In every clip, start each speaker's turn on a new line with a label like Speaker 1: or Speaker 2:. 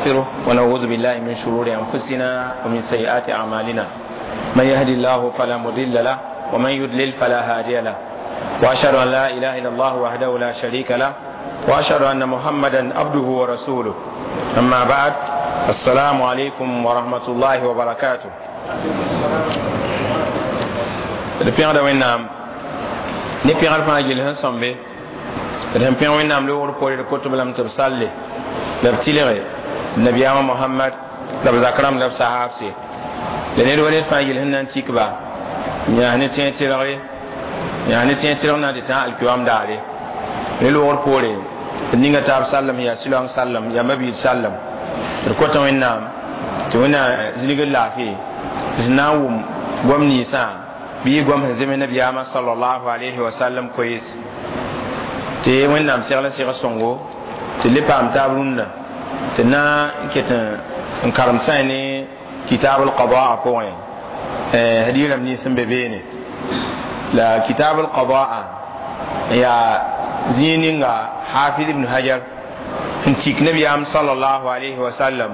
Speaker 1: ونستغفره ونعوذ بالله من شرور أنفسنا ومن سيئات أعمالنا. من يهدي الله فلا مضل له ومن يضلل فلا هادي له. وأشهد أن لا إله إلا الله وحده لا شريك له وأشهد أن محمدا عبده ورسوله. أما بعد، السلام عليكم ورحمة الله وبركاته. D pẽgda Wẽnnaam ne pẽgr fãa gill sẽn sõmbe. D sẽn pẽg Wẽnnaam loogr poore, d kot b lame tɩ b salle la b tɩlge nabiyaamã Mohamad la b zak rãmb la b sahaabse la ned wa ned fãa gill sẽn na n tik ba yãas ne tẽeg tɩlgre, yãas ne tẽeg tɩlg na n tɩ tã alkiyoam daare. Ne loogr poore, d ninga taab sallem yaa siloang sallem yaa mabiid sallem. D kota Wẽnnaam tɩ Wẽnnaam zĩlgr laafɩ d na n wʋm goam ninsã bɩ goam sẽn zems nabiyaamã sallallahu alayhi wa sallam koees, tɩ Wẽnnaam segl n seg sõngo tɩ le paam taab rũndã tɩ na n ket n karem sã ne kitab al-qadaa pʋgẽ hadis rãmb nins sẽn be beene. La kitab al-qadaa yaa zĩig ninga Hafiz ibn Hajar n tik nabiyaam sallallahu alayhi wa sallam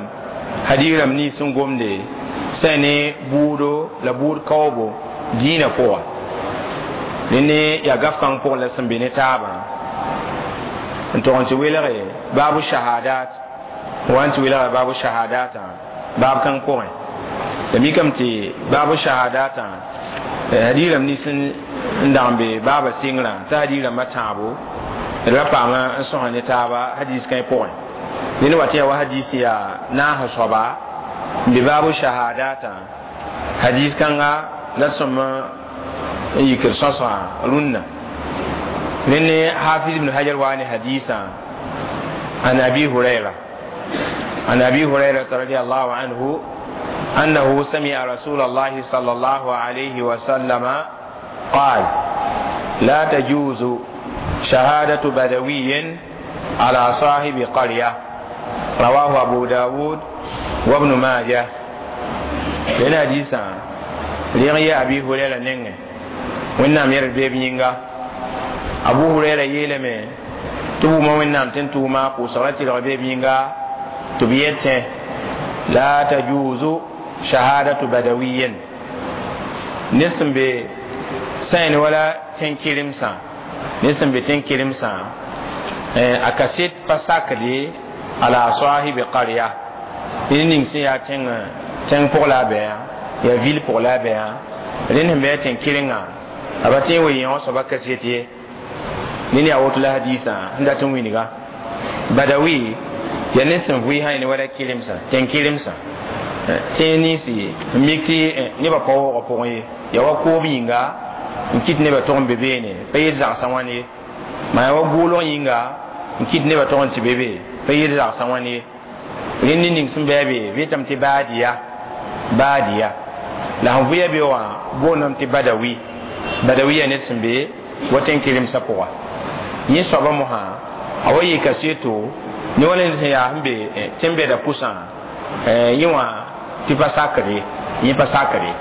Speaker 1: hadis rãmb nins sẽn gomde sã ne buudo la buud kaoobo dĩinã pʋga. Rẽnd yaa gaf kãng pʋgẽ la sẽn be ne taabã n tog n tɩ welge baabu shahadat wa n tɩ welga baabu shahadatã baab kãng pʋgẽ. La mikame tɩ baabu shahadatã hadis rãmb nins n dag n be baaba sɩngrã t'a hadis rãmbã tãabo d ra paama n sõsa ne taaba hadis kãe pʋgẽ. Ned wa tɩ yaa wa hadis yaa naas soaba n be baabu shahadatã hadis kãnga la sõm n yikr sõsgã rũnnã. Rẽnd Hafiz ibn Hajar wa ne hadisã an Abi Hurayra, عن أبي هريرة رضي الله عنه أنه سمع رسول الله صلى الله عليه وسلم قال: لا تجوز شهادة بدوي على صاحب قرية. رواه أبو داود وابن ماجه. لنا حديثا لغي أبي هريرة نينغ وإنام يرد بيب نينغا. أبو هريرة يلمي تبو ما وإنام تنتو ما قوصرتي لغبيب نينغا تبيته لا تجوز شهادة بدوي نسم بسين ولا تنكرم سا نسم بتنكرم سا أكسيت فساكلي على صاحب قرية إن سيا تن تن pour la بيا يا ville pour la بيا لأن بيا تنكرنا أبتين وينو سبا كسيتي نيني أوت لا حديثا عند تنوينغا بدوي ya ne sẽn vʋɩ sã ne wala kelemsã tẽn kelemsã tẽeg ninsi n mik tɩ nebã pa waoogã pʋgẽ ye ya wa koob yĩnga n kɩt nebã tog n be beene pa yel zagsã wãn ye, maa ya wa gʋʋlg yĩnga n kɩt nebã tog n tɩ be be pa yel zagsã wãn ye. Rẽnd ne ning sẽn bɩ a be beetame tɩ baadiya baadiya la sẽn vʋɩ a be wã boondame tɩ badawi badawi yaa ned sẽn be wa tẽn kelemsã pʋga. Yẽ soabã mosã a wa yɩ kaseto ne wala ned sẽn yaa sẽn be tẽn-bɛda pʋsã yẽ wã tɩ pa sakre yẽ pa sakre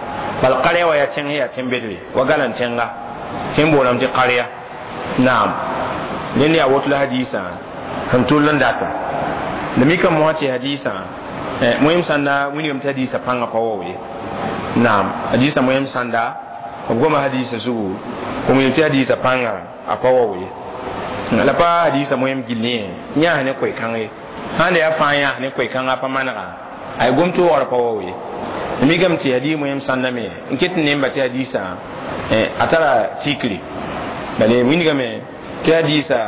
Speaker 1: bal qarya wa yaa tẽng yaa tẽn-bedre wa galan tẽnga tẽn boolame tɩ qarya. Naam, rẽnd yaa woto la hadisã sẽn tʋll n data. La mikame mosã tɩ hadisã moem sãnda wilgame tɩ hadisã pãngã pa wao ye. Naam, hadisã moem sãnda b goma hadisã zugu b wilg tɩ hadisã pãngã a pa wao ye. La pa hadisã moem gill yẽ yãas ne koe-kãng ye sãn da yaa fãa yãas ne koe-kãngã pa manega ay gom tɩ waoogrã pa wao ye. Mikame tɩ hadis moem sãnda me n ket n nemba tɩ hadisã a tara tikri bale wilgame tɩ hadisã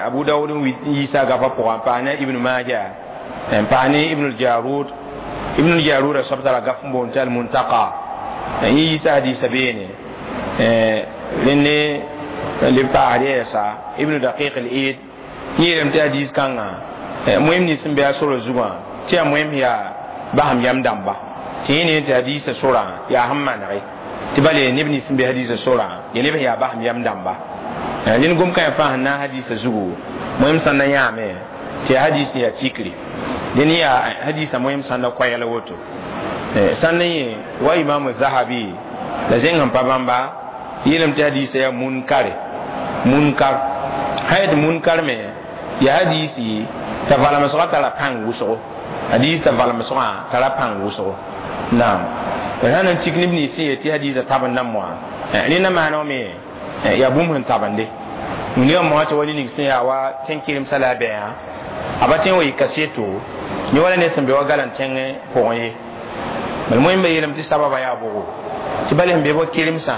Speaker 1: Abu Dawud n yiisa gafã pʋgã n paas ne Ibn Maja n paas ne Ibn Jarud. Ibn Jarud soab tara gaf n boond tɩ Almuntaqa yẽ yiisa hadisã beene. Rẽnd ne le paasd yɛɛsa Ibn Daqiq al-Eid yẽelame tɩ hadis kãngã moem nins sẽn be a sora zugã tɩ yaa moem yaa basem yam dãmba tɩ yẽ ne tɩ hadisã sorã yaa sẽn manege tɩ bale neb nins sẽn be hadisã sorã ya neb sẽn yaa basem yam dãmba. Rẽnd gom kãe fãa sẽn na n hadisã zugu moem sãn na yãame tɩ yaa hadis yaa tikri dẽn yaa hadisã moem sãn na koɛɛg la woto sãn na yẽ wa Imam Zahabi la zẽng sẽn pa bãmba yeelame tɩ hadisã yaa munkare munkar sã yet munkar me yaa hadisi T'a valemsgã tara pãng wʋsgo, hadiis t'a valemsgã tara pãng wʋsgo. Naam, d sã n tik neb nins sẽn yet tɩ hadiisã tabend moa, rẽnda maana me yaa bũmb sẽn tabende. Wilgã moa tɩ wa ne ning sẽn yaa wa tẽn-kɩremsã la a bɛɛã, a pa tõe n wa yɩ kaseto yẽ wala ned sẽn be wa galan tẽngẽ pʋgẽ ye. Bala moẽmba yeelame tɩ sababa yaa bʋgo tɩ bala sẽn be wa kɩremsã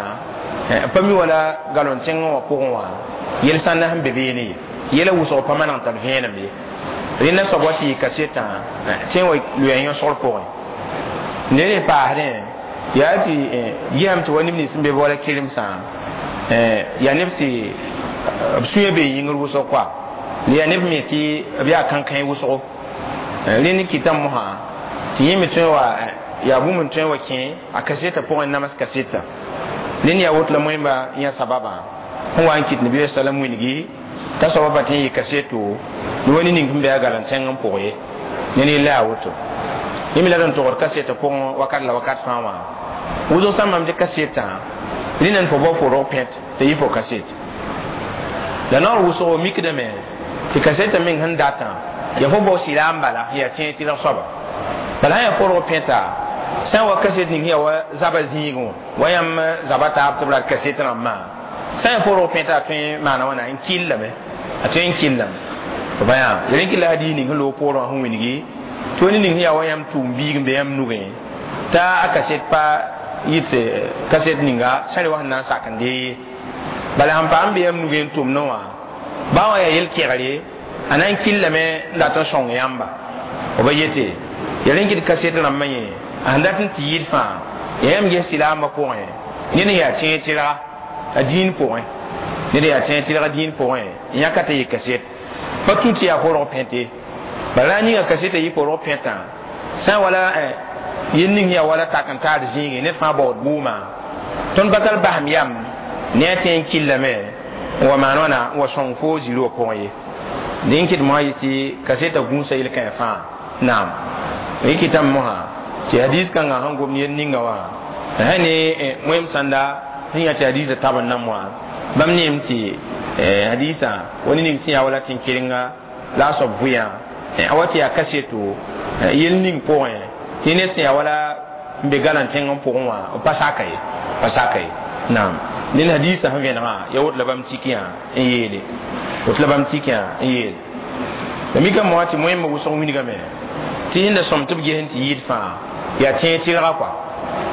Speaker 1: pa mi wala galon tẽngẽ wã pʋgẽ wã yel sãnda sẽn be beene ye, yɛla wʋsg pa maneg n tar vẽenem ye. Rẽnda soab wa tɩ yɩ kasetã tõe n wa loɛɛ yõsgr pʋgẽ. Ned n paasdẽ yaa tɩ yɛsame tɩ wa neb nins sẽn be wala kɩremsã yaa neb tɩ b sũyã bee yĩngr wʋsg koa, la yaa neb me tɩ b yaa kãnkãe wʋsgo. Rẽnd kɩtame mosã tɩ yẽ me tõe wa yaa bũmb n tõe n wa kẽ a kasetã pʋgẽ nams kasetã. Rẽnd yaa woto la moẽmba yã sababã sẽn wa n kɩt Nabiya salam wilgi t'a soabã pa tõe n yɩ kaseto ne wa ne ning sẽn be a galan tẽng n pʋg ye. Ned yella yaa woto. Yẽ me la d n togd kasetã pʋgẽ wakat la wakat fãa wã. Wʋsg sã n mam tɩ kasetã rẽnd n fo bao fo rog pẽt t'a yɩ fo kaset. La naoor wʋsgo mikdame tɩ kasetã meng sẽn datã yaa fo bao sɩla n bala yaa tẽeg tɩlg soaba. Bala sã yaa fo rog pẽta sã n wa kaset ning yaa wa zaba zĩigẽ wã wa yãmb zaba taab tɩ b rat kaset rãmbã, sã n yaa fo rog pẽta a tõe n maana wãna n kɩllame, a tõe n kɩllame. B yaa rẽ kɩ la hadiis ning sẽn loog poorẽ wã sẽn wilgi tɩ wa ne ning sẽn yaa wa yãmb tʋʋm biig n be yãmb nugẽ t'a a kaset pa yɩt kaset ninga sã re wa sẽn na n sak n dee ye. Bala sẽn paam be yãmb nugẽ n tʋmdẽ wã baa wã yaa yel-kegre a na n kɩllame n dat n sõng yãmba. B ba yete yaa rẽ kɩt kaset rãmbã yẽ a sẽn dat n tɩ yɩɩd fãa yaa yãmb ges silaambã pʋgẽ ned n yaa tẽeg tɩrga a dĩin pʋgẽ, ned yaa tẽeg tɩrga dĩin pʋgẽ n yãka t'a yɩ kaset pa tũ tɩ yaa forg pẽte. Bala a ninga kasetã yɩ forg pẽtã sã n wala yel ning yaa wala tak n taar zĩigẽ ned fãa baood bʋʋmã tõnd pa tar basem yam ne a tẽ n kɩllame n wa maan wãna n wa sõng fo zĩri wã pʋgẽ ye. Dẽn kɩt mosã yɩ tɩ kasetã gũusa yel-kãe fãa. Naam, rẽ kɩtame mosã tɩ hadiis kãngã sẽn gom yel ninga wã sã ne moẽm sãnda sẽn yã tɩ hadiisã tab n na moa bãmb neem tɩ hadiisã wa ne ning sẽn yaa wala tẽn-kɩrenga la a soab vʋyã a wa tɩ yaa kaseto yel ning pʋgẽ tɩ ned sẽn yaa wala n be galan tẽng n pʋgẽ wã b pa saka ye, pa saka ye. Naam, ned hadiisã sẽn vẽnegã yaa woto la bãmb tik yã n yeele, woto la bãmb tik yã n yeele. La mikame moa tɩ moẽmbã wʋsg wilgame tɩ sẽn da sõm tɩ b ges n tɩ yɩɩd fãa yaa tẽeg tɩrga kɔa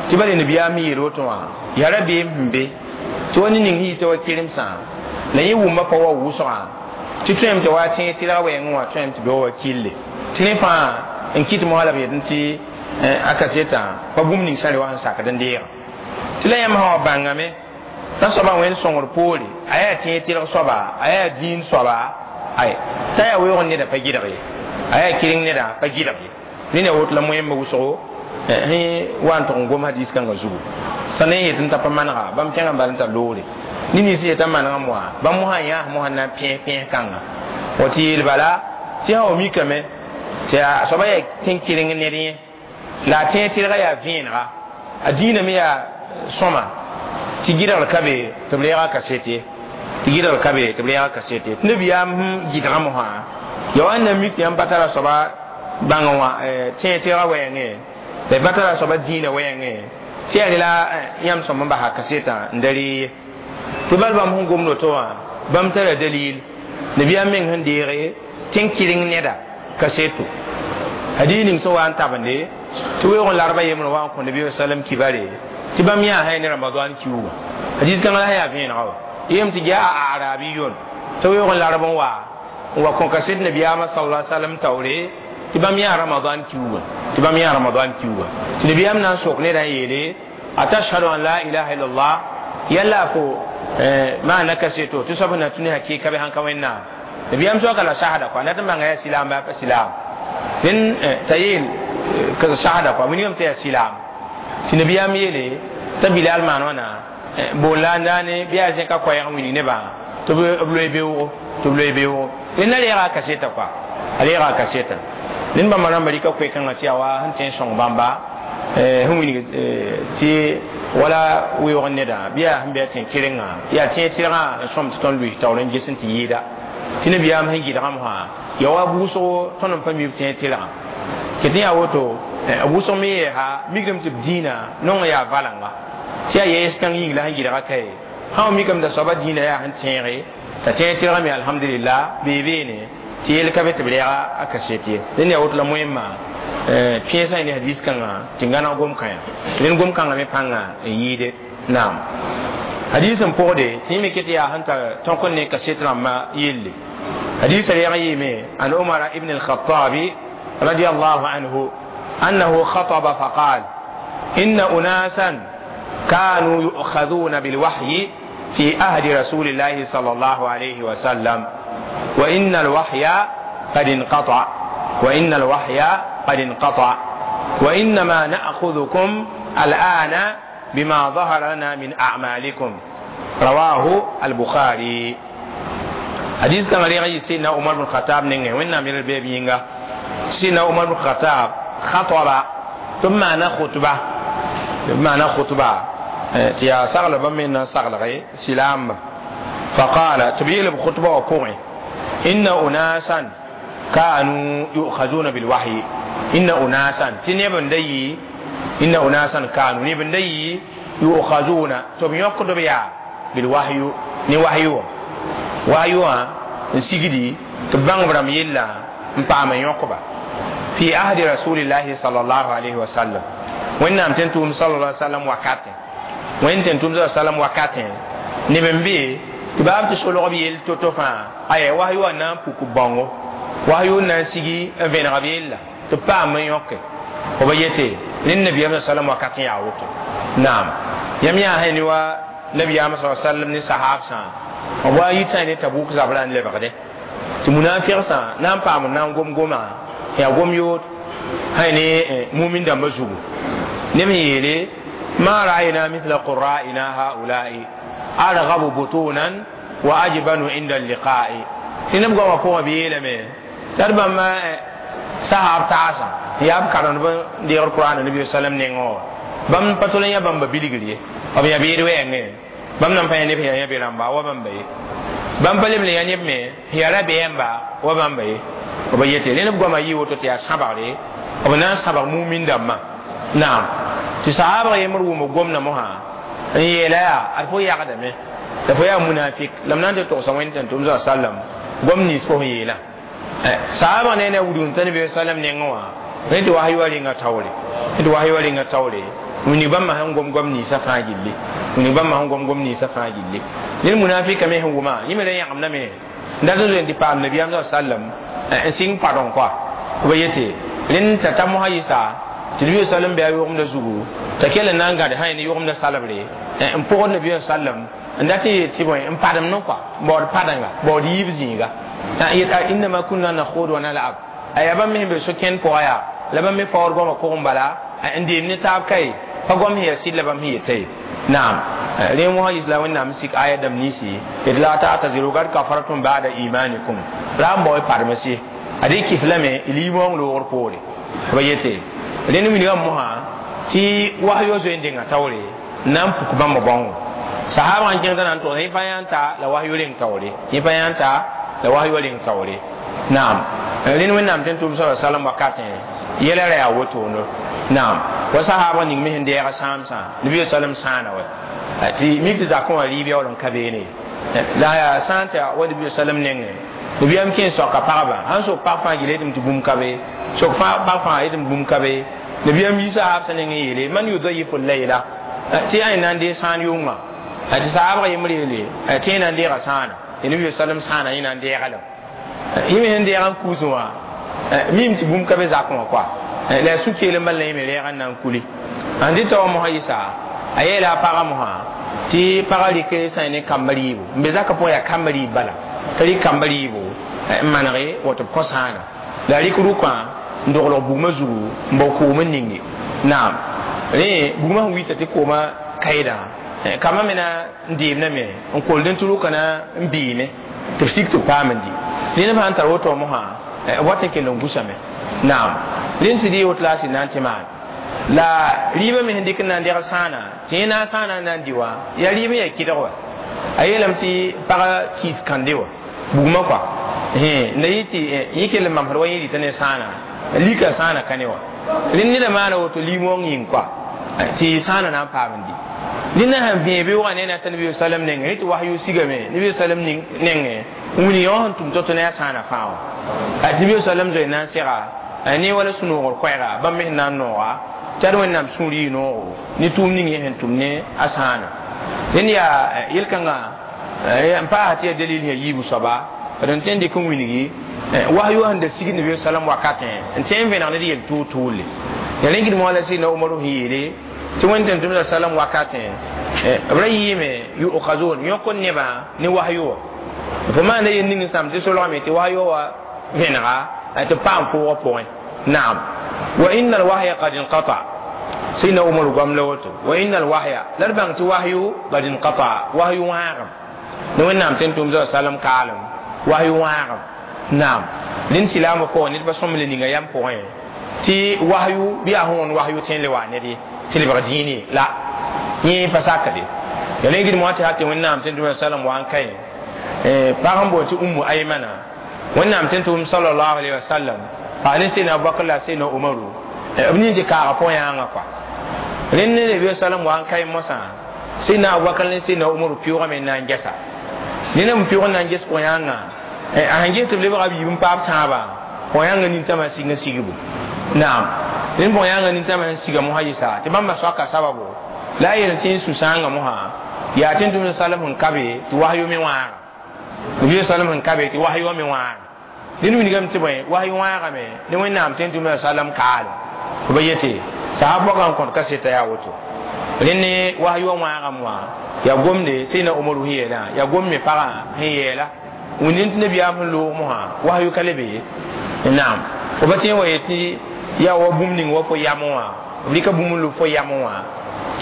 Speaker 1: tɩ bala nabiyaam yeel woto wã yaa rabeem sẽn be tɩ wa ne ning sẽn yita wa kɩremsã la yẽ wʋmba pa wa wʋsgã tɩ tõem tɩ wa tẽeg tɩrga wɛɛngẽ wã tõem tɩ be wa kille tɩ rẽ fãa n kɩt moa la b yet tɩ a kasetã pa bũmb ning sã re wa sẽn sakd n deega tɩ la yãmb sã wa bãngame t'a soabã wẽnd sõngr poore a yaa tẽeg tɩrg soaba, a yaa dĩin soaba, ay t'a yaa weoog neda pa gɩdg ye, a yaa kɩreng neda pa gɩdg ye. Rẽnd yaa woto la moẽmbã wʋsgo sẽn wa n tʋg n gom hadiis kãngã zugu. Sã ne yet n t'a pa manega bãmb kẽngã bal n tar loore ne nins yetã manegã moa bãmb mosã yãas mosã na n pẽes pẽes kãnga wa tɩ yeel bala tɩ sã wa mikame tɩ a soaba yaa tẽn-kɩreng ned yẽ la a tẽeg tɩrgã yaa vẽenega a dĩinã me yaa sõma tɩ gɩdgr ka be tɩ b reega kaset ye, tɩ gɩdgr ka be tɩ b reega kaset ye. Tɩ nabiyaam sẽn gɩdgã mosã yaa wa n na mik tɩ yãmb pa tara soaba bãng wã tẽeg tɩrgã wɛɛngẽ la y pa tara soaba dĩinã wɛɛngẽ tɩ yaa rela yãmb sõm n basa kasetã n da ree ye. Tɩ bal bãmb sẽn gomd woto wã bãmb tara dalil nabiyaam meng sẽn deege tẽn-kɩreng neda kaseto. Hadiis ning sẽn wa n tabende tɩ weoog n larba yembr wa n kõ nabi salam kibare tɩ bãmb yãa sã ne ramadan kiuugã hadiis kãngã la sã yaa vẽenega wa yem tɩ yaa a arabiyun tɩ weoog n larb n wa kõ kaset nabiyaamã sallallahu alaihi wasallam taoore tɩ bãmb yãa ramadan kiuugã, tɩ bãmb yãa ramadan kiuugã tɩ nabiyaam na n sok neda n yeele atashhadu an la ilaha illallah yalla fo maana kaseto tɩ soab na tũ ne hakɩɩka bɩ sãn ka wẽnnaam. Nabiyaam soaka la shahada kɔa dat n bãnga yaa silaam baa pa silaam rẽnd t'a yeel ka shahada kɔa wilgame tɩ yaa silaam tɩ nabiyaam yeele t'a bilal maan wãna bool la n daane bɩ yaa zẽka koɛɛg n wilg nebã tɩ b loe beoogo, tɩ b loe beoogo. Rẽnd a reega a kaseta kɔa, a reega a kaseta. Ned bãmba rãmba rɩka koe-kãngã tɩ yaa wa sẽn tõe n sõng bãmba sẽn wilg tɩ wala weoog neda bɩ yaa sẽn be a tẽn-kɩrengã yaa tẽeg tɩrgã n sõm tɩ tõnd lʋɩs taoor n ges n tɩ yɩɩda tɩ nabiyaam sẽn gɩdgã mosã Ya wa wʋsgo tõnd n pa mi b tẽ tɩlgã ket yaa woto wʋsg me yeesa mikdame tɩ b dĩinã nong yaa valengã tɩ yaa yɛɛs kãng yĩng la sẽn gɩdga kae sã wa mikame t'a soaba dĩinã yaa sẽn tẽege t'a tẽeg tɩlgame alhamdulillah bee beene tɩ yel ka be tɩ b rɛɛga a kaset ye dẽnd yaa woto la wẽmma pẽesã ne hadis kãngã tɩ gãneg gom-kãyã rẽnd gom-kãngã me pãnga n yɩɩde naam hadis n pʋgde tɩ yẽ me ket yaa sẽn tar tõk n ne kaset rãmbã yelle hadis rɛɛg yɩɩme an Umar ibn al-Khattabi radiyallahu anhu أنه خطب فقال إن أناسا كانوا يؤخذون بالوحي في عهد رسول الله صلى الله عليه وسلم وإن الوحي قد انقطع وإن الوحي قد انقطع وإنما نأخذكم الآن بما ظهر لنا من أعمالكم رواه البخاري حديث كان ريغي سيدنا عمر بن الخطاب نينغ وين نامير البيبي سيدنا عمر بن الخطاب خطب ثم معنى خطبة بمعنى خطبة تيا سغل بمن سغل سلام فقال تبيل بخطبة وقوعي إن أناسا كانوا يؤخذون بالوحي إن أناسا تنبن دي إن أناسا كانوا نبن دي يؤخذون تبيقض بيا بالوحي نوحي وحي نسيجدي تبان برام يلا مبام يقبا في عهد رسول الله صلى الله عليه وسلم وإن أمتنتم صلى الله عليه وسلم وكاتن وإن تنتم صلى الله عليه وسلم وكاتن نبن بي تباب تسولو بيل توتوفا أي وحي وانا بوكو بانغو وحي وانا سيجي فين غبيل تبام يوكي وبيتي للنبي صلى الله عليه وسلم وكاتن يعوتو نعم يميا هنوا نبي صلى الله عليه وسلم ني صحاب سان wa yita ne Tabuk zabran le bagde ti munafiq sa nan paam nan gom goma ya gom yot hayne mu'min da mazugu ne mi yele ma ra'ayna mithla qurra'ina ha'ula'i arghabu butunan wa ajbanu inda al-liqa'i tinam goma ko bi yele me tarba ma sahab ta'asa ya karan ba di Qur'an nabi sallam ne ngo bam patolen ya bamba biligriye ob ya bi wenge bam nan pa ne ya bi ramba wa bamba ye bam palem le ya ne me ya ra be yamba wa bamba ye o ba yete le ne goma yi woto te ya sabare o na sabar mu'min damma naam ti sahaba ye muru mo gomna mo ha yela ya alfo ya kadame da fo ya munafik lam nan te to sa wen tan tum sallam gomni so yela sahaba ne ne wudun tan bi sallam ne ngwa ne to wahyu wali nga tawle ne to wahyu wali nga tawle wuni bamma han gom gom ni sa fa gilli wuni bamma han gom gom ni sa fa gilli lil munafika me huma yimele ya amna me ndazo ndi pa nabi sallam sing pardon quoi ko yete lin ta tamu hayisa nabi sallam be ayu da zugu ta kele nan ga da hayni yugum da salabre en po nabi sallam ndati ti boy en padam non quoi bod padanga bod yibzinga yeta inna ma kunna nakhudu wa nal'ab ayaba mi be so ken po aya laba mi for go ko mbala indi ni tab kai pa gom hiya sidla bam hiya tay naam le mo hayis la wonna misik aya dam nisi idla ta taziru gar kafartum ba'da imanikum ram boy parmasi adi kiflame ilimon lo wor pore bayete le ni mi mo ha ti wahyo zo ndinga tawre nam puk bamba bongo sahaba an kenga nan to ni fayanta la wahyo len tawre ni fayanta la wahyo len tawre naam le ni wonna mten tum sallallahu alaihi wasallam wakatin yelere ya woto no naam wa sahaba ning mi hinde ya samsa nabi sallam sana wa ati mi ti zakon ali bi olon kabene la ya santa wa nabi sallam nenge nabi am ken so ka paraba han so parfa gile dum bum kabe so fa parfa idum bum kabe nabi am yisa hab sanenge yele man yudayifu layla ti ay nan de san yuma ati sahaba yimri ati nan de rasana nabi sallam sana ina de galam yimi hinde ya kuzuwa mim ti bum kabe zakon kwa la suke le mal ne le ran nan kuli andi taw mo hayisa ayela para mo ha ti para like sa ne kambali bo mbe zaka po ya kambali bala tali kambali bo manare woto kosana la likuru kwa ndoglo bugma zugu mboko men ningi naam re bugma wita ti koma kaida kama mena ndibna me on ko den tulu kana mbine tafsik to pamandi ni ne man taro to mo ha wata ke longusa me naam lin sidi wot la si nan ti maan la riba me hendik nan der sana ti na sana nan diwa ya riba ya kidwa ayelam ti para kis kandewa bugma kwa Na yiti yike mam har wani tane sãana lika sãana ka ne wã rẽnd neda maana woto lim-wong yĩng koa tɩ sãana na n paam n di ned sẽn vẽe beoogã ne na t'a nabi sallam nengẽ tɩ wahyu sigame nabi sallam nengẽ wĩnig yõ sẽn tʋm to-to ne a sãana fãa wã tɩ nabi sallam zoe na n sega ne wala sũ-noogr koɛɛga bãmb me sẽn na n nooga tɩ ad wẽnnaam sũur yɩ noogo ne tʋʋm ning yẽ sẽn tʋm ne a sãana rẽnd yaa yel-kãngã n paasa tɩ yaa dalil sẽn yiibu soaba d n tõe n dɩk n wilgi wahyu sẽn da sigd nabi sallam wakatẽ n tõe n vẽneg ned yel tʋʋl-tʋʋle ya rẽn gɩdmã la sɩdna Umaru sẽn yeele tɩ wẽnd tẽn-tʋmda sallam wakatẽ b ra yɩɩme yu'khazun yõk n nebã ne wahyu wã fo maanda yel ning sãm tɩ solgame tɩ wahyu wã vẽnega tɩ paam pʋʋgã pʋgẽ naam wa inna alwahya qad inqata sidna Umaru goam la woto wa inna alwahya la d bãng tɩ wahyu qad inqata wahyu wãagem ne wẽnnaam tẽn-tʋmda sallam kaalem wahyu wãagem naam rẽnd silaamã pʋgẽ ned pa sõmble ninga yam pʋgẽ tɩ wahyu bɩ yaa sẽn wõnd wahyu tõe n le wa ned ye tɩ lebg dĩine la yẽ pa sakde ya rẽ gɩdmã tɩ tɩ wẽnnaam tẽn-tʋmda sallam wa n ka ye pag n boond tɩ Ummu Aymana wẽnnaam tẽn-tʋm sallallahu alayhi wa sallam pag ne sẽna Abubakar la sẽna Umaru b nin tɩ kaaga pʋgẽ yãangã kɔa rẽnd ne nabi sallam wa n ka ye mosã sẽna Abubakar ne sẽna Umaru pɩʋgame n na n gɛsa ned n pɩʋg n na n ges pʋgẽ yãangã a sẽn ges tɩ b lebga b yiib n paam tãabã pʋgẽ yãngã nintãmã sig n sigbu naam rẽnd pʋgẽ yãngã nintãmã sẽn siga mosã yɩsa tɩ bãmba soaka sababu la a yel tɩ n sũ-sãangã mosã yaa tẽn-tʋmd sallam sẽn ka be tɩ wahyu me wãaga nabi sallam sẽn ka be tɩ wahyu me wãaga ned wilgame tɩ bõe wahyu wãagame ne wẽnnaam tẽn-tʋmd sallam kaalem b yete sahab pɔgã n kõt kaseta yaa woto rẽnd ne wahyu wãagame wã yaa gomde sẽna Umaru sẽn yeelã yaa gom me pagã sẽn yeela wĩnd tɩ nabiyaam sẽn loog mosã wahyu ka le be ye naam fo pa tẽ wa yetɩ yaa wa bũmb ning wa fo yamẽ wã b rɩka bũmb n lub fo yamẽ wã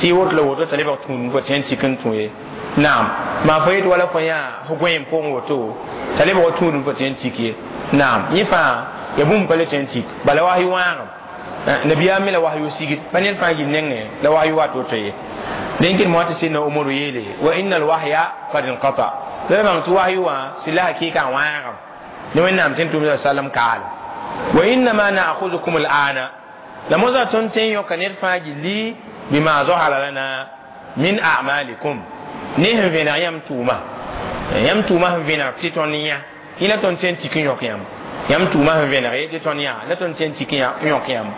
Speaker 1: tɩ woto la woto t'a lebg tũud fo tõe n tik n tũ ye naam maa fo yet wala fo yã fo gõeem pʋgẽ woto t'a lebg tũud fo tõe n tik ye naam yẽ fãa ya bũmb pa le tõe n tik bala wahyu wãagem nabiyaam me la wahyu sigd pa ned fãa gil nengẽ la wahyu wa to-to ye rẽn kɩd moa tɩ sẽdna Umaru yeele wa inna alwahya qad inqata la bãng tɩ wahyu wã sɩ la hakɩɩka wãagem ne wẽnnaam tẽn-tʋmda sallam kaalem wa innama na'khuzukum al'ana la mosã tõnd tõe n yõka ned fãa gilli bima zahara lana min a'malikum ne sẽn vẽneg yãmb tʋʋma yãmb tʋʋma sẽn vẽneg tɩ tõnd yã yẽ la tõnd tõe n tik n yõk yãmb yãmb tʋʋma sẽn vẽneg tɩ tõnd yã la tõnd tõe n tik n yõk yãmb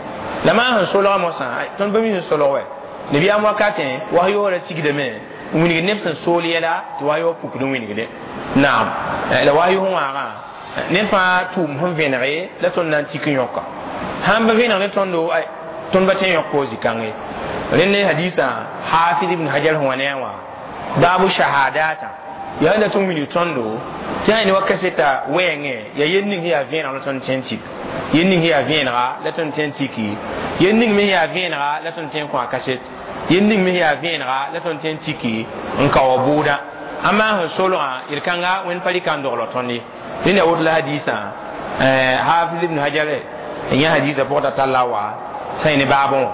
Speaker 1: la maa sẽn solga mosã tõnd pa mi sẽn solg wɛ nabiyaam wakatẽ wahyu ra sigdame n wilgd neb sẽn sool yɛla tɩ wahyu pukd n wilgde naam la wahyu sẽn wãagã ned fãa tʋʋm sẽn vẽnege la tõnd na n tik n yõka sãn pa vẽneg ne tõndo tõnd pa tõe n yõk koos zĩ-kãng ye rẽnd ne hadisã Hafiz ibn Hajar sẽn wa ne a wã baabu shahadata yaa dat n wilg tõndo tɩ sã ne wa kaseta wɛɛngẽ yaa yel ning sẽn yaa vẽeneg la tõnd tõe n tik yel ning sẽn yaa vẽenega la tõnd tõe n tiki yel ning me sẽn yaa vẽenega la tõnd tõe n kõ a kaset yel ning me sẽn yaa vẽenega la tõnd tõe n tiki n ka wa bʋʋda ãmba sẽn solgã yel-kãnga wẽnd pa rɩka n dogl tõnd ye rẽnd yaa woto la hadisã Hafiz ibn Hajar n yã hadisã pʋgã t'a talla wa sã yẽ ne baabẽ wã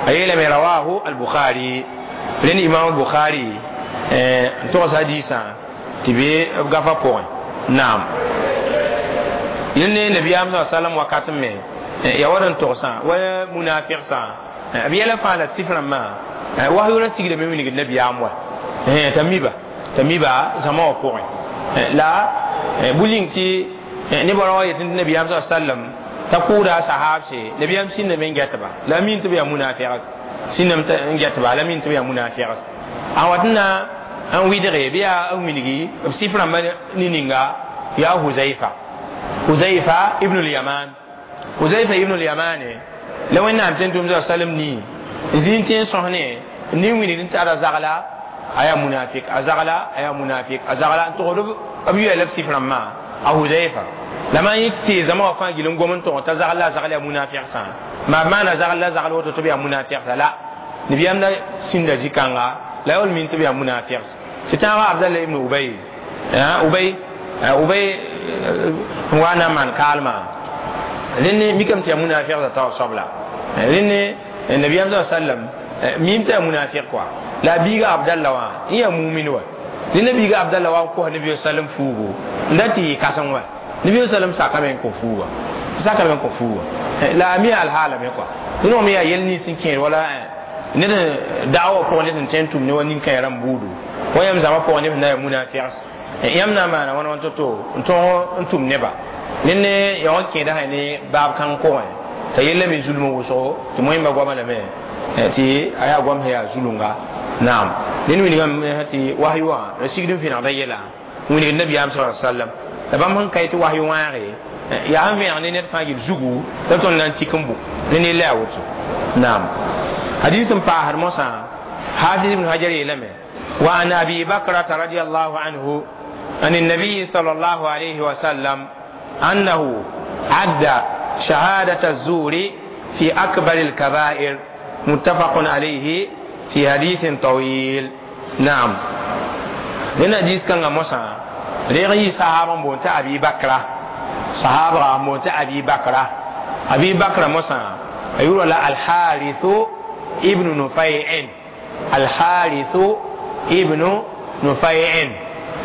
Speaker 1: a yeelame rawahu al-Bukhari rẽnd imam Bukhari n togs hadisã tɩ be b gafa pʋgẽ naam rẽnd ne nabiyaam sa sallam wakat me ya wa n togsã wa munafiqsã b yɛla fãa la sif rãmbã wahyu ra sigdame wilgd nabiyaam wa t'a miba zãma wã pʋgẽ la bu-ling tɩ nebã ra wa yetɩ tɩ nabiyaam sa sallam t'a kʋʋda a sahaabse nabiyaam sĩndame n gɛtba la a min tɩ b yaa munafigs sĩndame n gɛtba la a min tɩ b yaa munafigs a wat n na n wɩdge bɩ yaa n wilgi b sif rãmbã ne-ninga yaa Huzaifa Huzaifa ibn al-Yaman Huzaifa ibn al-Yaman la wẽnnaam tẽn-tʋmd sallam nii zĩig tẽ n sõs ne nin wilgd n tara zagla a yaa munafik a zagla a yaa munafik a zagla n togd b yoɛɛ la b sif rãmbã a Huzaifa la maan yẽ tee zãma wã fãa gil n gom n tog t'a zagl la a zagl yaa munafigsã maa b maana zagl la zagl woto tɩ b yaa munafigsã la nabiyaam la sĩnda zĩ-kãnga la ya wall min tɩ b yaa munafigs tɩ tãagã Abdallah ibn Ubay Ubay Ubay n wa na n maan kaalmã rẽnd mikame tɩ yaa munafigsã taoor soabla rẽnd nabiyaam sa sallam mim tɩ yaa munafik kɔa la a biiga Abdallah wã n yaa mumin wa rẽnd biiga Abdallah wã n kos nabi sallam fuugu n da tɩ yɩ kãseng wa Nabi sallam sakame ko fuwa sakame ko fuwa la mi al hala me quoi ni mi ya yel ni sin ken wala ne da'awa ko ne tentum ne wani kan ran budu wayam zama ko ne na munafiqs yam na mana wana to to ntum ne ba nene ya wanke da ne bab kan ko ta yelle mi zulmu wuso to moy ma gwama me ti aya gwam ya zulunga naam nin wini gam hati wahyu wa rasigdin fi na da yela wini nabi am sallallahu alaihi wasallam da bam han kay ti wahyu wa re ya han fi ne net fa gi zugu da ton nan cikin bu ne la wuto naam hadithun fa har musa hafiz ibn hajar yelame wa an abi bakra radiyallahu anhu an النبي صلى الله عليه وسلم أنه عد شهادة الزور في أكبر الكبائر متفق عليه في حديث طويل. نعم لأن حديث كان موسى رغي صحابة بونت أبي بكر صحابة بونت أبي بكر أبي بكر موسى يقول الحارث ابن نفيع الحارث ابن نفيع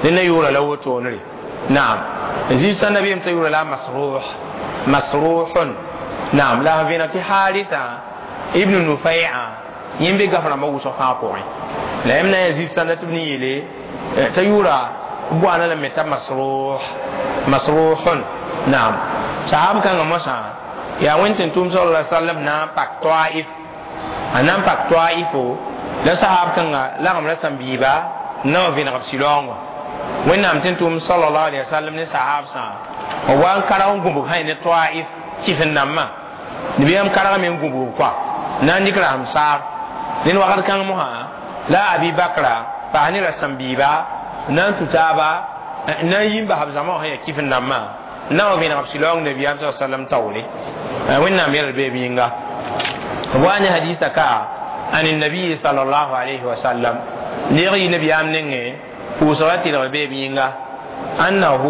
Speaker 1: لأن يقول له تونري. نعم زي النبي يقول لا مسروح مسروح. نعم لا فينا حارثة ابن نفيع يمبي غفر ما وصف فاقوي لا يمنا يزيد سنة ابن يلي تيورا بوانا لم يتم مسروح مسروح. نعم صحاب كان مسا يا وين تنتم صلى الله عليه وسلم نام باك طائف نام باك طائف لا صحاب كان لا هم رسم بيبا نو فينا غفسيلون وين نام تنتم صلى الله عليه وسلم نصحاب سا وان كراون غوبو هاي طائف كيف نما نبيام كراون من غوبو كوا نان ديكرا همسار لين وقت كان مها لا أبي بكر فهني رسم بيبا نان تتابع نان ينبه بزمان هي كيف نما نان بين رسول النبي صلى الله عليه وسلم تولي وين نام يربي بينغا وان حديث كا عن النبي صلى الله عليه وسلم نيري النبي أمنه وصلت الربي بينغا أنه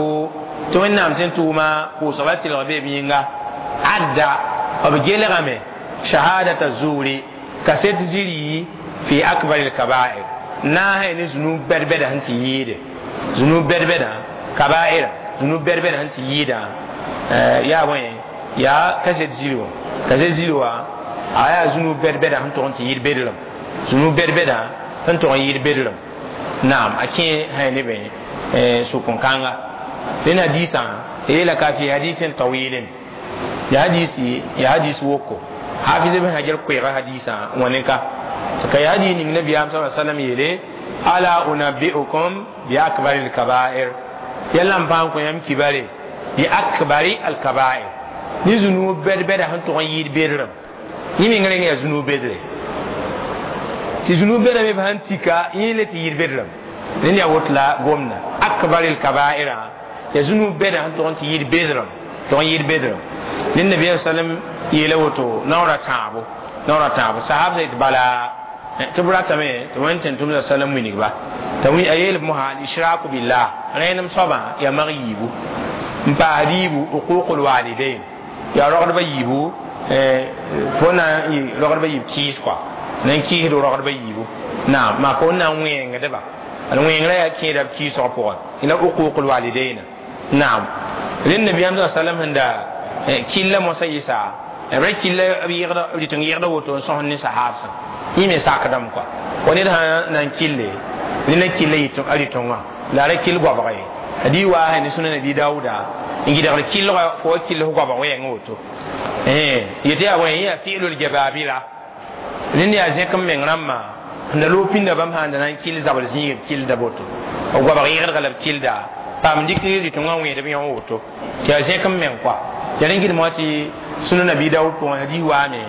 Speaker 1: توين نام تنتوما وصلت الربي بينغا عدى وبجيل شهادة الزور كسيت زيري في أكبر الكبائر ناهي نزنوب بربدا هنتي ييد زنوب بربدا كبائر زنوب بربدا هنتي ييدا يا وين يا كسيت زيرو كسيت زيرو آيا زنوب بربدا هنتو هنتي ييد بدلم زنوب بربدا هنتو ييد بدلم. نعم أكين هاي نبي سوكون كانغا لنا ديسان إلى كافي حديث طويل يا حديثي يا حديث وكو حافظ ابن حجر كويغا حديثا ونكا كي هدي النبي صلى الله عليه وسلم يلي ألا أنبئكم بأكبر الكبائر يلا مفانكم يم كباري بأكبر الكبائر نزنو بد بد هنتو غير بيرم يمين غير يزنو بدر تزنو بد بهنتيكا يلي تير بيرم لين يوتلا غومنا أكبر الكبائر يزنو بد هنتو غير بيرم تغير بيرم لين النبي صلى الله عليه وسلم يلوتو نورا تابو نورا تابو صحابة بلا تبرا تمي توين تنتم السلام وينك با توي أيل مها الإشراك بالله رينم صبا يا مغيبو مباريبو حقوق الوالدين يا رغب يبو فونا رغب يب كيس كوا نكيه رغب يبو نعم ما فونا وين غدبا وين لا كيد كيس أقوى إلى حقوق الوالدين. نعم للنبي صلى الله عليه وسلم عند كل مسيسا ركيل بيغدا بيتنغيردا وتو سون صحابة يمي ساكدام كوا وني نان كيلي ني كيلي يتو اريتونغا لا ركيل غوبغي دي وا هني سنن دي داودا نجي دغ كيل فو كيل غوبغ وين وتو يتي ا وين يا فعل الجبابره ني يا زكم من رما ندلو بين بام هان نان كيل زابل زي كيل دابوتو غوبغ يغد غلب كيل دا بام دي كيل يتونغا وين دبي وتو تي زكم من كوا يرنجي موتي سنن ابي داود بو دي وامي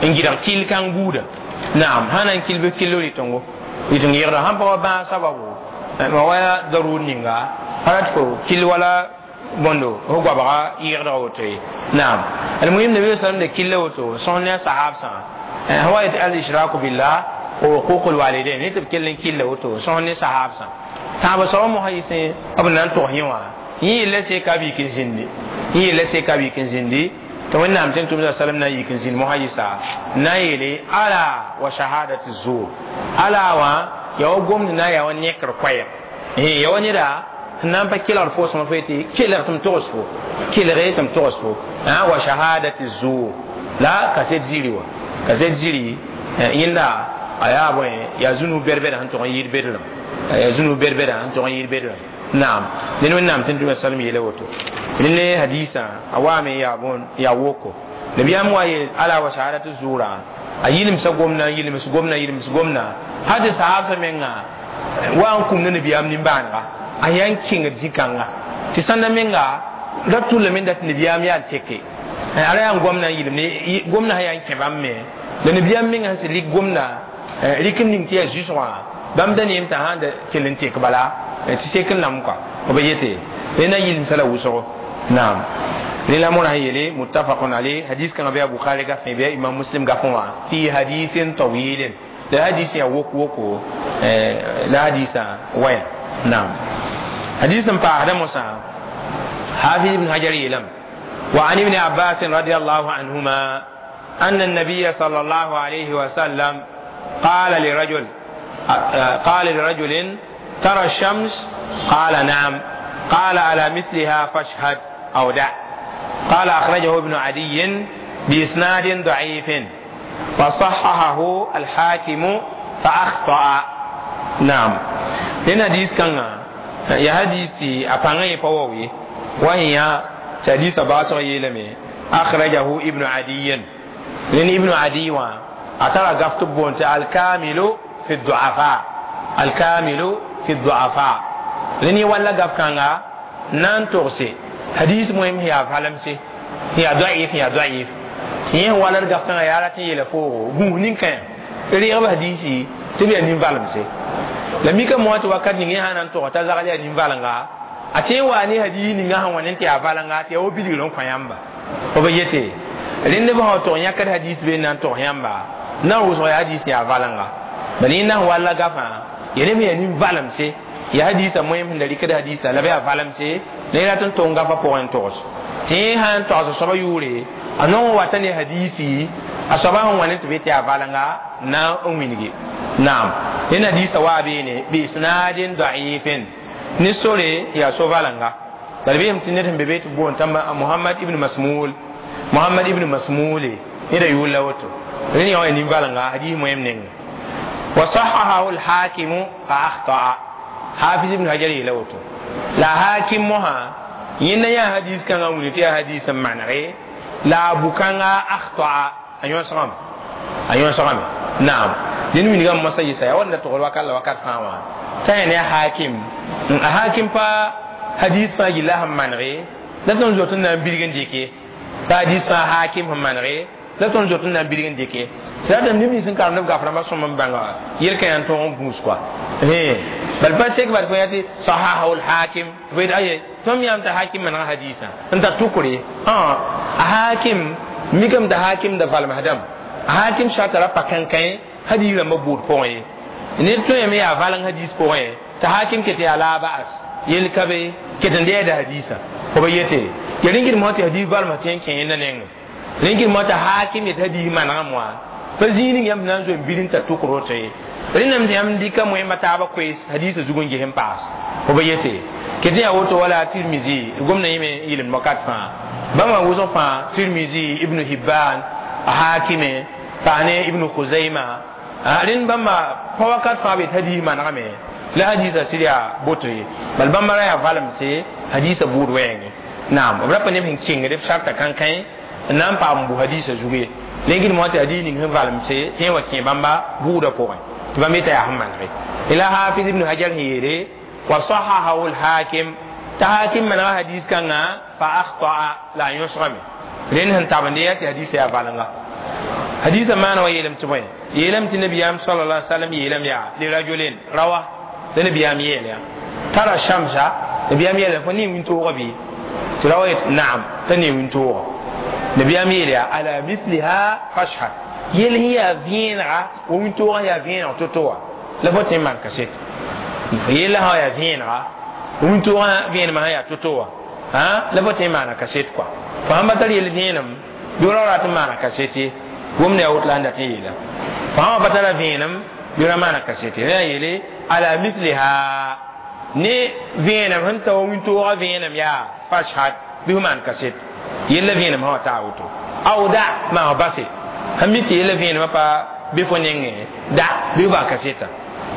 Speaker 1: نجي دغ كيل كان غودا. نعم هانا كيل بكيلو يتونغو يتونغ يغدا هم با با سببو ما ويا ضرور نينغا هراتكو كيل ولا بوندو هو غبا يغدا وتي. نعم المهم النبي صلى الله عليه وسلم كيل وتو سنن صحاب سان هو الاشراك بالله وحقوق الوالدين نتب كيل كيل وتو سنن صحاب سان تابا سو مو هيسين ابن نان تو هيوا يي لسي كابي كنزندي يي لسي كابي كنزندي تو نعم تنتم صلى الله عليه وسلم نايي كنزين مو هيسا نايلي على وشهادة الزور على وا يو غوم نا يا ونيكر كوير يا ونيرا Sẽn na n pa kelgd pʋʋsgã fo yetɩ kelg tɩ m togs fo, kelge tɩ m togs fo. Wa shahadati zur, la kaset ziri wa kaset ziri yẽnda a yaa bõe, yaa zũnug bɛd-bɛdã sẽn tog n yɩɩd bedrem, yaa zũnug bɛd-bɛdã sẽn tog n yɩɩd bedrem. Naam, ned Wẽnnaam tɩ tʋma salm yeela woto. Rẽ ne hadisã a waame yaa bõn yaa woko. Nabiyaam wa yeel ala wa shahadatu zura, a yɩlemsa gomdã, yɩlems gomdã, yɩlems gomdã, hal tɩ sahabsã menga wa n kũm ne nabiyaam nimbãanega, a yaa n kẽngd zĩ-kãnga tɩ sãnda menga ra tʋllame n dat nabiyaam yaa n teke a ra yaa n gomdã n yɩlem gomdã sã yaa n kẽ bãmb me. La nabiyaam menga sẽn sɩd rɩk gomdã, rɩk n ning tɩ yaa zu-sõgã, bãmb da neem t'a sãn da kell n tek bala tɩ sek n nam kɔa b yete rẽnda yɩlemsa la wʋsgo. Naam, rẽ la morã sẽn yeele muttafaqun alayh. Hadis kãngã bɩ a Bukhari gafẽ, bɩ a Imam Muslim gafẽ wã, fi hadisin tawilin, la hadis yaa wok woko la hadisã waya. Naam, hadis n paasdã mosã, Hafiz ibn Hajar yeelame: wa an ibn Abbas radiallahu anhuma أن النبي صلى الله عليه وسلم قال لرجل: ترى الشمس؟ قال: نعم. قال: على مثلها فاشهد أو دع. قال: أخرجه ابن عدي بإسناد ضعيف، وصححه الحاكم فأخطأ. نعم، لأن حديث كان يا حديث أبانا يفووي وهي حديث باسو يلمي أخرجه ابن عدي، لأن ابن عدي أترى قفت بونت الكامل في الضعفاء، الكامل في الضعفاء. لأن ولا قف كان نان تغسي حديث مهم هي فالمسي هي ضعيف، هي ضعيف tiẽ wala d gaf kãngã yaa rat n yeela foogo gũus nin-kã reegb hadisi tɩ b yaa nin-valemse. La mika moã tɩ wakat ning yẽ sã na n tog t'a zagl yaa nin-valenga, a tõe n waa ne hadis ninga sẽn wa ne tɩ yaa valenga, tɩ yaa wa bilgr n kõ yãmba. B yete rẽnd b sã tog yãkd hadis be n na n tog yãmba na n wʋsg yaa hadis yaa valenga. Bala yẽnda sẽn walla gafã ya neb yaa nin-valemse, ya hadisa moẽm sẽn da rɩkd hadisa la b yaa valemse, la yẽ rat n tong gafã pʋgẽ n togs tɩ yẽ sã n togs soaba yʋʋre, a nong wata ne hadisi a soaba sẽn wa ne tɩ be tɩ yaa valenga na n wilgi. Naam, yẽn hadisa waa beene bi isnadin da'ifin, ne sore yaa so valenga. Bala beem tɩ ned sẽn be be tɩ boond t'a Muhammad ibn Masmul, Muhammad ibn Masmule neda yʋʋr la woto. Rẽnd yã wã nin-valenga hadis moẽm nenga. Wa sahahahu alhakimu fa akhta'a. Hafiz ibn Hajar yeela woto la hakim mosã yẽnda yaa hadis kãngã wilg tɩ yaa hadis n manege la a bu-kãnga akhta'a, a yõsgame, a yõsgame. Naam, dẽnd wilgame mosã yɩsa yaa wanda togd wakat la wakat fãa wã t'a yã ne a hakim, a hakim pa hadis fãa gilla sẽn manege la tõnd zot n na n bilg n dɩke t'a hadis fãa hakim sẽn manege la tõnd zot n na n bilg n dɩke. Tɩ ratame neb nins n karemd b gaf rãmbã sõm n bãnga yel-kã yaa n tõog n gũus kɔa. Bal pa sek bal fo yaa tɩ sahahu lhakim, tɩ fo yet aye tõmb yãam t'a hakim manega hadisã n tar tʋkre. A hakim mikame t'a hakim da valmsdame, a hakim sarta ra pa kãnkãe hadis rãmbã buud pʋgẽ ye. Ned tõe me yaa valeng hadis pʋgẽ t'a hakim ket yaa la ba'as yel ka be ket n dɛɛda hadisã fo ba yete ya rẽngd mosã tɩ hadis valms tɩ n kẽ yẽnda nengẽ. Rẽngd mosã t'a hakim yet hadis manegame wã pa zĩig ning yãmb na n zoe n bil n tar tʋk roto ye. Rẽndame tɩ yãmb dɩka moẽmba taabã koees hadisã zug n ges n paas fo ba yete ket yaa woto. Wala Tirmisi gomdã yẽme yɩlemd wakat fãa bãmba wʋsg fãa, Tirmisi, Ibnu Hibban, a Hakime paas ne Ibnu Khuzaima, rẽnd bãmba pa wakat fãa be tɩ hadis manegame la hadisã sɩd yaa boto ye. Bal bãmba ra yaa valemse hadisã buud wɛɛngẽ. Naam, b ra pa neb sẽn kẽngd b sarta kãnkãe n na n paam n bu hadisã zug ye. Lengd moã tɩ hadis ning sẽn valemse tɩ yẽ wa kẽ bãmba buudã pʋgẽ tɩ bãmb yeta yaa sẽn manege. La Hafiz ibn Hajar sẽn yeele wa sahahahu lhakim, t'a hakim manega hadis kãngã fa akhta'a, la a yõsgame. Rẽnd sẽn tabende yaa tɩ hadisã yaa valenga. Hadisã maana wa yeelame tɩ bõe, yeelame tɩ nabiyaam sala la sallam yeelame yaa lirajulin rawa la nabiyaam yeel ya tara shamsa, nabiyaam yeela fo ne wĩntoogã bɩ? Tɩ rawa yet naam, t'a ne wĩntoogã. Nabiyaam yeel yaa ala mithliha fashhad, yel sẽn yaa vẽenega wa wĩntoogã yaa vẽeneg to-to wã la fo tõe n maan kaset fo yella sã yaa vẽenega, wĩntoogã vẽenemã sã yaa to-to wã la fo tõe n maana kaset kɔa. Fo sãn pa tar yel vẽenem bɩ ra rat n maana kaset ye, gomda yaa woto la sẽn dat n yeela fo sã wa pa tara vẽenem bɩ ra maana kaset ye. Rẽ yeele ala mithliha. Ne vẽenem sẽn ta wa wĩntoogã vẽenem yaa fashhad bɩ f maan kaset yella vẽenem sã wa taa woto aw da maa base sẽn mi tɩ yella vẽenemã pa bɩ fo nengẽ da bɩ f bas kaseta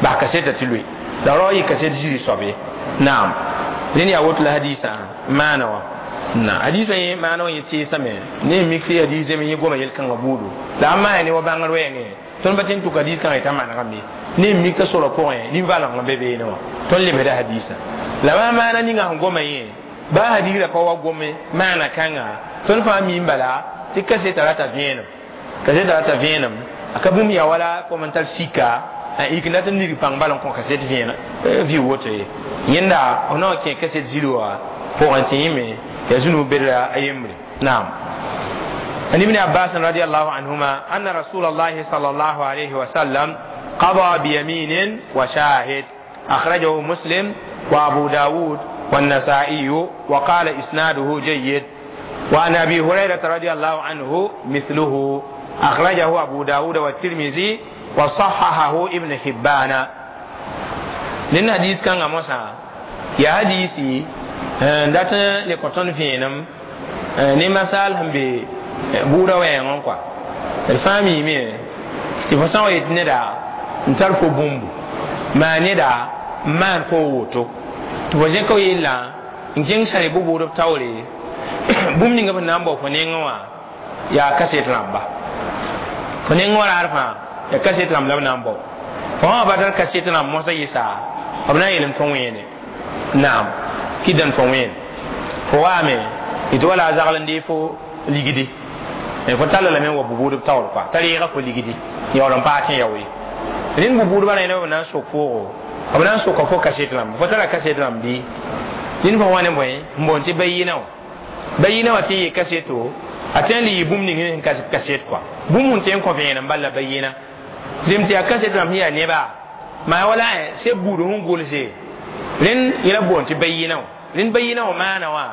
Speaker 1: bas kaseta tɩ loe la rao yɩ kaset ziri soab ye naam rẽnd yaa woto la hadisã maana wã na hadisã yẽ maana wã yẽ teesame ne mik tɩ hadis zeme yẽ goma yel-kãngã buudu la a maa ne wa bãngr wɛɛngẽ tõnd pa tɩ n tʋk hadis kãngã yetã manegame ne mik t'a sorã pʋgẽ nin-valengã be beene wã tõnd lebsda hadisã la maa maana ninga sẽn goma yẽ baa hadisrã pa wa gome maana kãnga tõnd fãa miim bala tɩ kaseta rata vẽenem kaseta rata vẽenem a ka bũmb yaa wala fo n tar sika a yik n dat n nig pãng bal n kõ kaset vẽen vɩ woto ye yẽnda f na wa kẽ kaset ziri wã pʋgẽ tɩ yẽme ya zũnug bedra a yembre naam. عن ابن عباس رضي الله عنهما أن رسول الله صلى الله عليه وسلم قضى بيمين وشاهد أخرجه مسلم وأبو داود والنسائي وقال إسناده جيد. وعن أبي هريرة رضي الله عنه مثله أخرجه أبو داود والترمذي وصححه ابن حبان. لأن حديث كان موسى يا حديثي دات لكوتون فينم ne masal sẽn be buudã wɛɛngẽ kɔa d fãa miime tɩ fo sã n wa yet neda n tar fo bũmbu maa neda n maan fo woto tɩ fo zẽka yellã n kẽng sã bʋ-bʋʋdb taoore bũmb ninga b sẽn na n bao fo nengẽ wã yaa kaset rãmba fo nengẽ wã raar fãa yaa kaset rãmb la b na n bao fo wã ba tar kaset rãmb mosã yɩsa b na n yeelem fo wẽene naam kɩ dãn fo wẽen fo waame tɩ wala a zagl n dee fo ligdi fo talla lame n wa bʋ-bʋʋdb taoor kɔa t'a reega fo ligdi yaool n paas tẽ yao ye rẽnd bʋ-bʋʋdbã rẽnd b na n sok foogo b na n soka fo kaset rãmb fo tara kaset rãmb bɩ rẽnd fo wa ne bõe n boond tɩ bayina wã bayina wã tɩ n yɩ kaseto a tõe n le yɩ bũmb ning sẽn kas kaset kɔa bũmb sẽn tõe n kõ vẽenem bal la bayina zem tɩ yaa kaset rãmb sẽn yaa neba maa wala seb buud sẽn gʋlse rẽnd yẽla boond tɩ bayina wã rẽnd bayina wã maana wã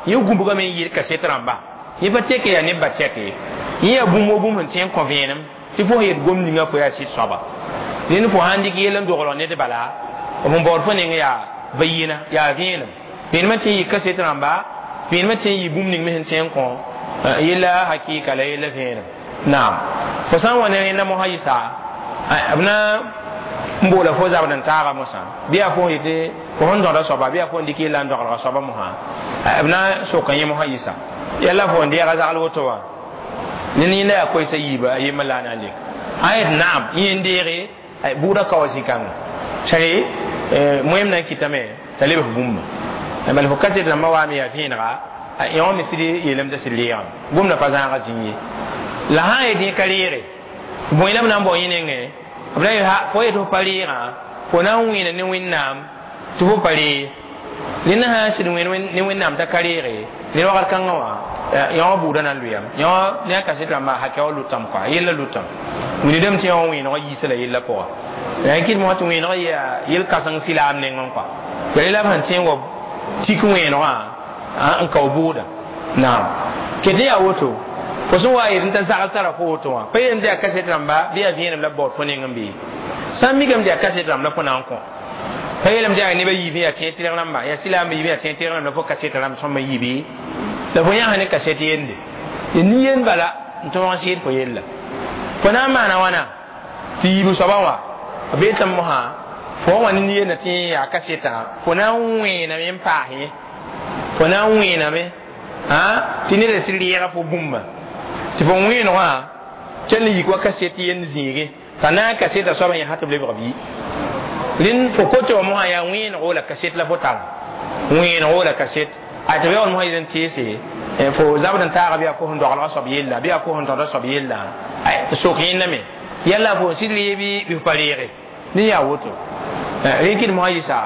Speaker 1: yẽ gũbgame n yɩɩd kaset rãmba yẽ pa tɛk yaa neb ba tɛk ye yẽ yaa bũmb wo bũmb sẽn tõe n kõ vẽenem tɩ fo yet gom ninga fo yaa sɩd soaba rẽnd fo sãn dɩk yell n doglg ned bala b n baood fo neng yaa bayina yaa vẽenem vẽenemã tɩ n yɩ kaset rãmba vẽenemã tɩ n yɩ bũmb ning me sẽn tõe n kõ yella hakɩɩka la yella vẽenem naam fo sã n wa ne rẽnda mosã yɩsa b na n boola fo zabd n taaga mosã bɩ yaa fo yetɩ fo sẽn dõda soaba bɩ yaa fo n dɩk yella n dogelga soaba mosã b na soka yẽ mosã yɩsa yalla fo n deega zagl woto wã ne yẽnda yaa koɛɛsa yiiba a yembr la a na n lek a yet naam yẽ n deege buudã kao zĩ-kãnga sare moẽm na n kɩtame t'a lebs bũmba bala fo kaset rãmbã waame yaa vẽenega yõ me sɩd yeelame t'a sɩd reegame gomdã pa zãaga zĩig ye la sã n yet yẽ ka reege bõe la b na n bao yẽ nengẽ b na fo yet fo pa reegã fo na n wẽena ne Wẽnnaam tɩ fo pa ree rẽnd sã n sɩd wẽen ne Wẽnnaam t'a ka reege rẽnd wakat kãngã wã yõ buudã na n lʋyame yõ ne a kaset rãmbã hakɛ wã lʋtame kɔa yella lʋtame wilgdame tɩ yõ wẽenegã yiisa la yella pʋga la yẽ kɩt mosã tɩ wẽenegã yaa yel-kãseng sɩlaam nengẽ kɔa ya rela b sẽn tẽ n wa tik wẽenegã n kao bʋʋda naam ket ne yaa woto fo sẽn wa yet n t'a zagl tara fo woto wã pa yeelame tɩ yaa kaset rãmba bɩ yaa vẽenem la b baood fo neng n bee sã n mikame tɩ yaa kaset rãmb la fo na n kõ pa yeelame tɩ yaa nebã yiib yaa tẽeg tɩrg rãmba yaa sɩlaambã yiib yaa tẽeg tɩrg rãmb la fo kaset rãmb sõma yiibe la fo yãs ne kaset yende ya nin-yend bala n tõog n sɩɩd fo yella fo na n maana wãna tɩ yiib soabã wã b beetame mosã fo wa ne nin-yenda tɩ yaa kasetã fo na n wẽename n paas yẽ fo na n wẽename tɩ neda sɩd reega fo bũmba tɩ fo wẽenegã kell n yik wa kaset yend zĩige t'a na n kasetã soabã yẽ sã tɩ b lebg bɩ rẽnd fo kote wã mosã yaa wẽenego la kaset la fo tara wẽenego la kaset a tɩ b yaool mosã yel n teese fo zabd n taaga bɩ yaa fo sẽn dogelga soab yella bɩ yaa fo sẽn tõda soab yella sok yẽndame yalla fo sɩd ree bɩ fo pa reege ne yaa woto rẽ kɩd mosã yɩsa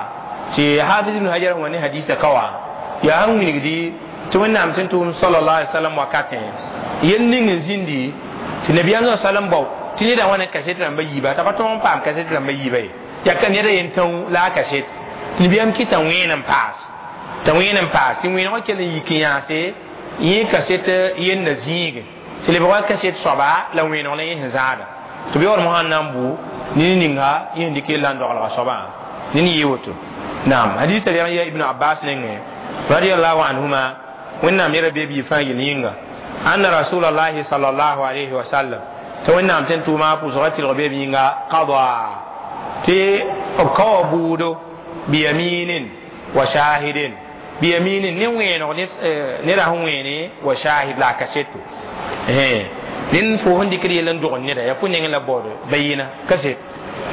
Speaker 1: tɩ hafiz ibn hajar wã ne hadisa ka wã yaa sẽn wilgdi tɩ Wẽnnaam sẽn tʋʋm sallallahu alaihi wasallam wakatẽ yel ning n zĩndi tɩ nabiyaam sallam bao tɩ neda wã ne kaset rãmba yiiba t'a pa tõog n paam kaset rãmba yiiba ye yaa ka neda yen tão la a kaset tɩ nabiyaam kɩta wẽen n paas t'a wẽen n paas tɩ wẽenegã kell n yik n yãase yẽ kaset yenda zĩige tɩ lebg wa kaset soaba la wẽeneg la yẽ sẽn zãada tɩ b yaool mosã n na n bʋ ne ninga yẽ sẽn dɩk yella n dogelga soabã ne ne yɩ woto Naam hadisa ya Ibn Abbas nenge radiyallahu anhuma wẽnnaam yɛra bee bii fãa yel yĩnga anna rasulallahi sallallahu alayhi wa sallam tɩ wẽnnaam tẽn tʋʋma pʋsgã tɩlg bee yĩnga qada tɩ b kaoa buudo biyaminin wa shahidin biyaminin ne wẽenego neda sẽn wẽene wa shahid la a kaseto ned fo sẽn dɩkd yell n dog neda yaa fo nengẽ la baood bayina kaset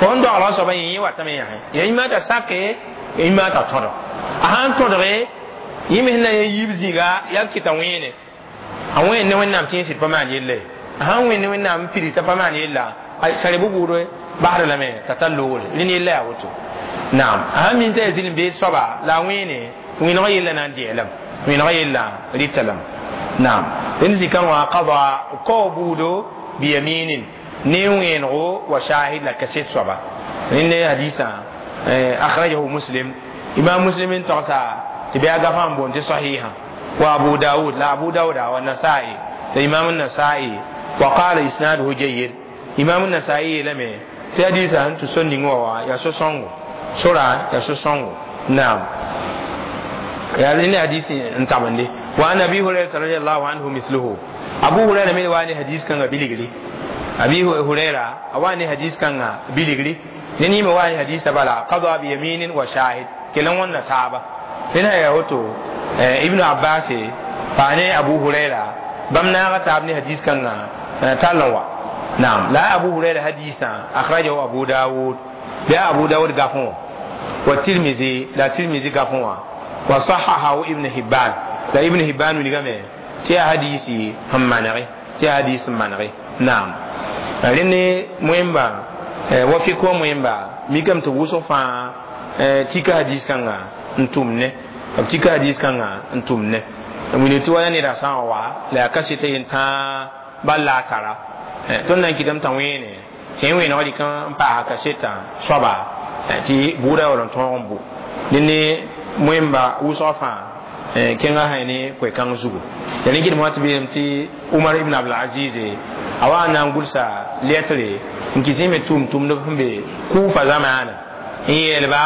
Speaker 1: fo sẽn doglg soabã yẽ watame yãse yaa yĩmã t'a sake yĩmã t'a tõdg a sãn tõdge yẽ me sẽn na n yiib zĩiga yaa b kɩta wẽene a wẽen ne wẽnnaam tɩ yẽ sɩd pa maan yella ye a sãn wẽen ne wẽnnaam n pids t'a pa maan yella sã reb buudre basd lame t'a tar loogre rẽnd yella yaa woto naam a sãn min t'a yaa zĩl n beed soaba la a wẽene wẽnegã yella na n dɩɛlame wẽnegã yella rɩta lame naam rẽnd zikã wã qada kao buudo biyaminin ne wẽenego wa shahid la kaset soaba rẽnd hadisã akhrajahu Muslim imam Muslim n togsa tɩ bɩ a gafã n boond tɩ sahiha wa Abu Dawud la Abu Dawuda wa Nasai la imam Nasai wa qala isnaduhu jayyid imam Nasai yeelame tɩ hadisã sẽn tʋ so ning wa wã yaa so-sõngo sora yaa so-sõngo naam yaa rẽnd hadis n tabende wa an Abi Hurairata radiallahu anhu mithluhu Abu Huraira me wa ne hadis kãngã bilgri Abi Huraira a wa ne hadis kãngã bilgri ne yĩme wa ne hadisã bala qada biyaminin wa shahid kell n wãnda taaba rẽnd sã yaa woto Ibnu Abbas paa ne Abu Huraira bãmb naaga taab ne hadis kãngã tall n wa naam la Abu Huraira hadisã akhrajahu Abu Dawud bɩ a Abu Dawud gafẽ wã wa Tirmizi la Tirmizi gafẽ wã wa sahahahu Ibn Hibban la Ibn Hibban wilgame tɩ yaa hadisi sẽn manege tɩ yaa hadis sẽn manege naam rẽnd ne moẽmba wa fik wã moẽmba mikame tɩ wʋsg fãa tika hadis kãnga n tʋm ne b tika hadis kãnga n tʋm ne wilg tɩ wala neda sã n wa la yaa kaseta yen tãa bal la a tara tõnd na n kɩtame t'a wẽene tɩ yẽ wẽenegã rɩk n paasa kasetã soaba tɩ bʋʋda yaool n tõog n bʋ dẽnd ne moẽmba wʋsgã fãa kẽngã sã ne koe-kãng zugu ya rẽ kɩdem wã tɩ beelem tɩ Umar ibn Abdulaziz a wa n na n gʋlsa lɛtre n kɩs yẽ me tʋʋm-tʋmdb sẽn be Kufa zamaana n yeelba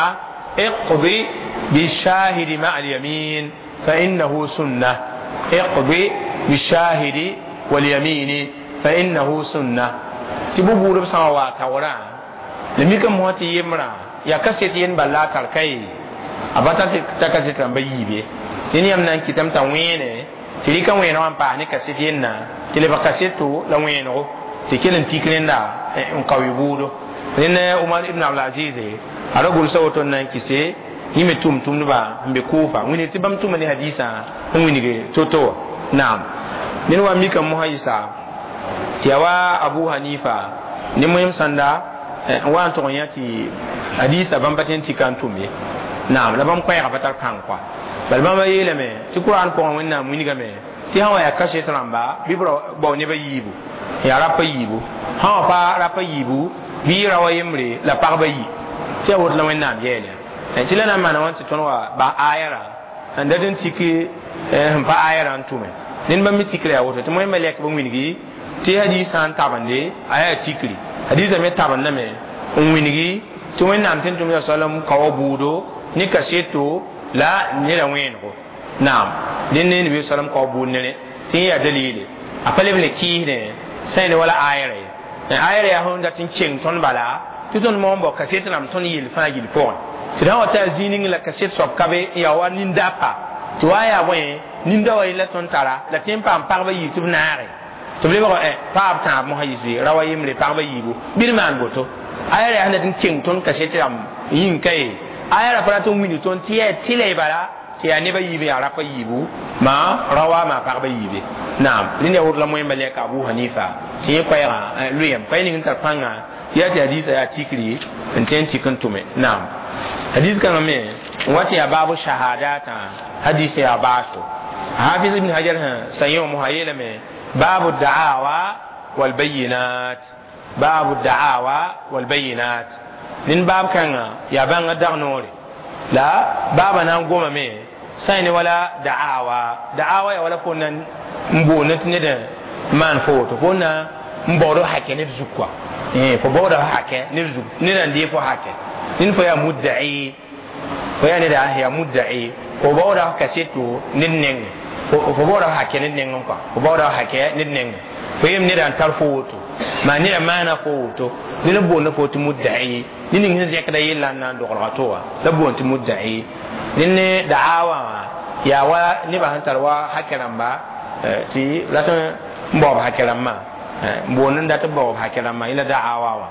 Speaker 1: iqdi bishahidi ma'a alyamin fa innahu sunna iqdi bishahidi walyamini fa innahu sunna tɩ bʋ buudb sã n wa taoorã la mikame mosã tɩ yembrã yaa kaset yen bal la a tar kaye a pa tar kaset rãmba yiib ye dẽnd yãmb na n kɩtame t'a wẽene tɩ rɩka wẽenegã n paas ne kaset yenna tɩ lebg kaseto la wẽenego tɩ kell n tik rẽnda n kao bʋʋdo rẽnd Umar ibn Abdulaziz a ra gʋlsa woto n na n kɩse yẽ me tʋʋm-tʋmdbã n be Kufa wĩnig tɩ bãmb tʋma ne hadisã n wilg to-to wã naam ned wa mikame mosã yɩsa tɩ yaa wa Abu Hanifa ne moẽm sãnda n wa n tʋg n yã tɩ hadisã bãmb pa tõe n tika n tʋm ye naam la bãmb koɛɛgã pa tar pãng kɔa bala bãmba yeelame tɩ Kuraan pʋgẽ wẽnnaam wilgame tɩ sã wa yaa kaset rãmba bɩ b bao nebã yiibu yaa rapa yiibu sã wa pa rapa yiibu bɩ ra wa yembre la pagba yi tɩ yaa woto la wẽnnaam yɛɛl ya tɩ la na n maana wãn tɩ tõnd wa ba aya rã n dat n tik sẽn pa aya rã n tʋme ned bãmb me tikra yaa woto tɩ moẽmba lɛk b wilgi tɩ hadisã n tabende a yaa tikri hadisã me tabendame n wilgi tɩ wẽnnaam tɩ n tʋm sallam kaoa buudo ne kaseto la neda wẽenego naam dẽnd ne nabi sallam kao buud nere tɩ yẽ yaa dalile a pa leb le kɩɩsdẽ sã ne wala ayra ye ayra yaa sẽn dat n keng tõnd bala tɩ tõnd moon bao kaset rãmb tõnd yel fãa gill pʋgẽ tɩ d sã wa t'a zĩig ning la kaset soab ka be n yaa wa nin-dapa tɩ wa yaa bõe nin-da wa yella tõnd tara la tɩ n paam pagba yiib tɩ b naage tɩ b lebg paab tãab mosã yis ra wa yembre pagba yiibu bɩ d maan boto ayra yaa sẽn dat n keng tõnd kaset rãmb yĩng ka ye aya ra pa rat n wilg tõnd tɩ yaa tɩla y bala tɩ yaa neba yiib yaa rapa yiibu maa rawa maa pagba yiibe naam rẽnd yaa woto la moẽmba lɛka Abu Hanifa tɩ yẽ koɛɛgã loeem pa ning n tar pãnga yaa tɩ hadisa yaa tikri n tõe n tik n tʋme naam hadis kãngã me n wa tɩ yaa baabu shahadatã hadis yaa baaso Hafiz ibn Hajar sẽn sa yẽ wã mosã yeelame baabu da'awa walbayinat baabu da'awa walbayinat ned baab kãngã yaa bãngã dag noore la baaba na n gomame sã ne wala da'awa da'awa yaa wala fo na n boond tɩ ned n maan fo woto fo na n baood hakɛ ned zug kɔa fo baooda hakɛ ned zug ned n dee fo hakɛ ned fo yaa mudda'i Fo yaa neda yaa mudda'i fo baooda kaseto ned nengẽ fo baooda hakɛ ned nengẽ kɔa fo baooda hakɛ ned nengẽ fo yem neda n tar fo woto maa neda maana fo woto ned n boonda fo tɩ mudda'i ne ning sẽn zẽkda yella n na n dogelga to wã la boond tɩ mudda'i ned ne da'awa wã yaa wa nebã sẽn tar wa hakɛ rãmba tɩ rat n baoob hakɛ rãmbã n boond n dat b baoob hakɛ rãmbã yẽla da'awa wã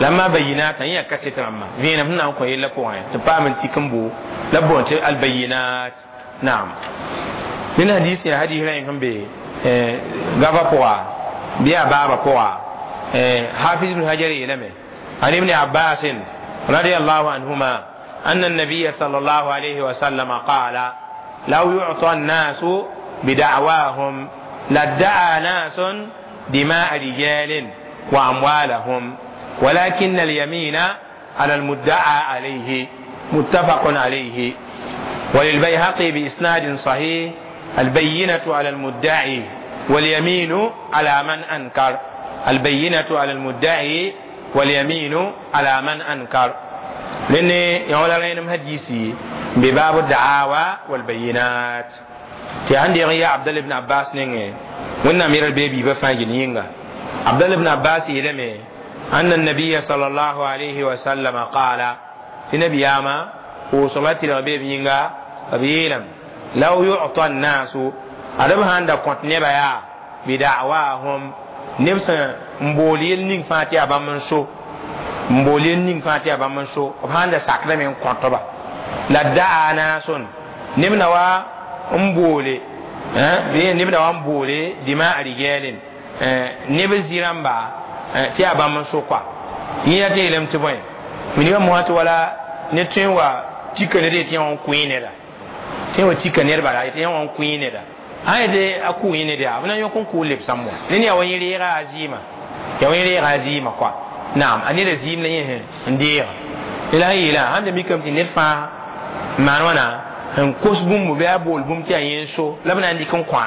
Speaker 1: la ma bayinat yã kaset rãmbã vẽenem sẽn na n kõ yella pʋgẽ tɩ paam n tik n bo la boond tɩ albayinat naam ned hadis yaa hadis rã sẽn be gava pʋga bɩ yaa baaba pʋga hafiz ibn hajar yeelame عن ابن عباس رضي الله عنهما أن النبي صلى الله عليه وسلم قال لو يعطى الناس بدعواهم لادعى ناس دماء رجال وأموالهم ولكن اليمين على المدعى عليه متفق عليه وللبيهقي بإسناد صحيح البينة على المدعي واليمين على من أنكر البينة على المدعي واليمين على من أنكر لأن يقول لنا حديثي بباب الدعاوى والبينات تي عندي يا عبد الله بن عباس نينغ وين امير البيبي بفاجي نينغ عبد الله بن عباس يلمي أن النبي صلى الله عليه وسلم قال في نبي ياما وصلت البيبي نينغ أبيلم لو يعطى الناس أدب هاندا كنت نبيا بدعواهم نفس مبوليل نين فاتي أبا منسو مبوليل نين فاتي أبا منسو هاندا ساكنا من كنتبا لا دعا ناس نمنا وا مبولي بي نمنا وا مبولي دماء رجال نبزيران با tɩ yaa bãmb n so koa yẽ tɩ yeelame tɩ bõe minimã mosã tɩ wala ne tõe n wa tika ned yetɩ yẽ wã n kʋɩ neda tɩ wa tika nedba la yetɩ yẽ wã n kʋɩ neda sã yetɩ a kʋ yẽ ned yaa b na n yõk n kʋʋ lebsãmb wã ned yaa wa yẽ reega a zɩɩmã yaa wa yẽ reega a zɩɩmã koa naam a neda zɩɩm la yẽ n deega la sẽn yeelã sãn da mikame tɩ ned fãa n maan wãna n kos bũmb bɩ a bool bũmb tɩ yaa yẽ n so la b na n dɩk n kõa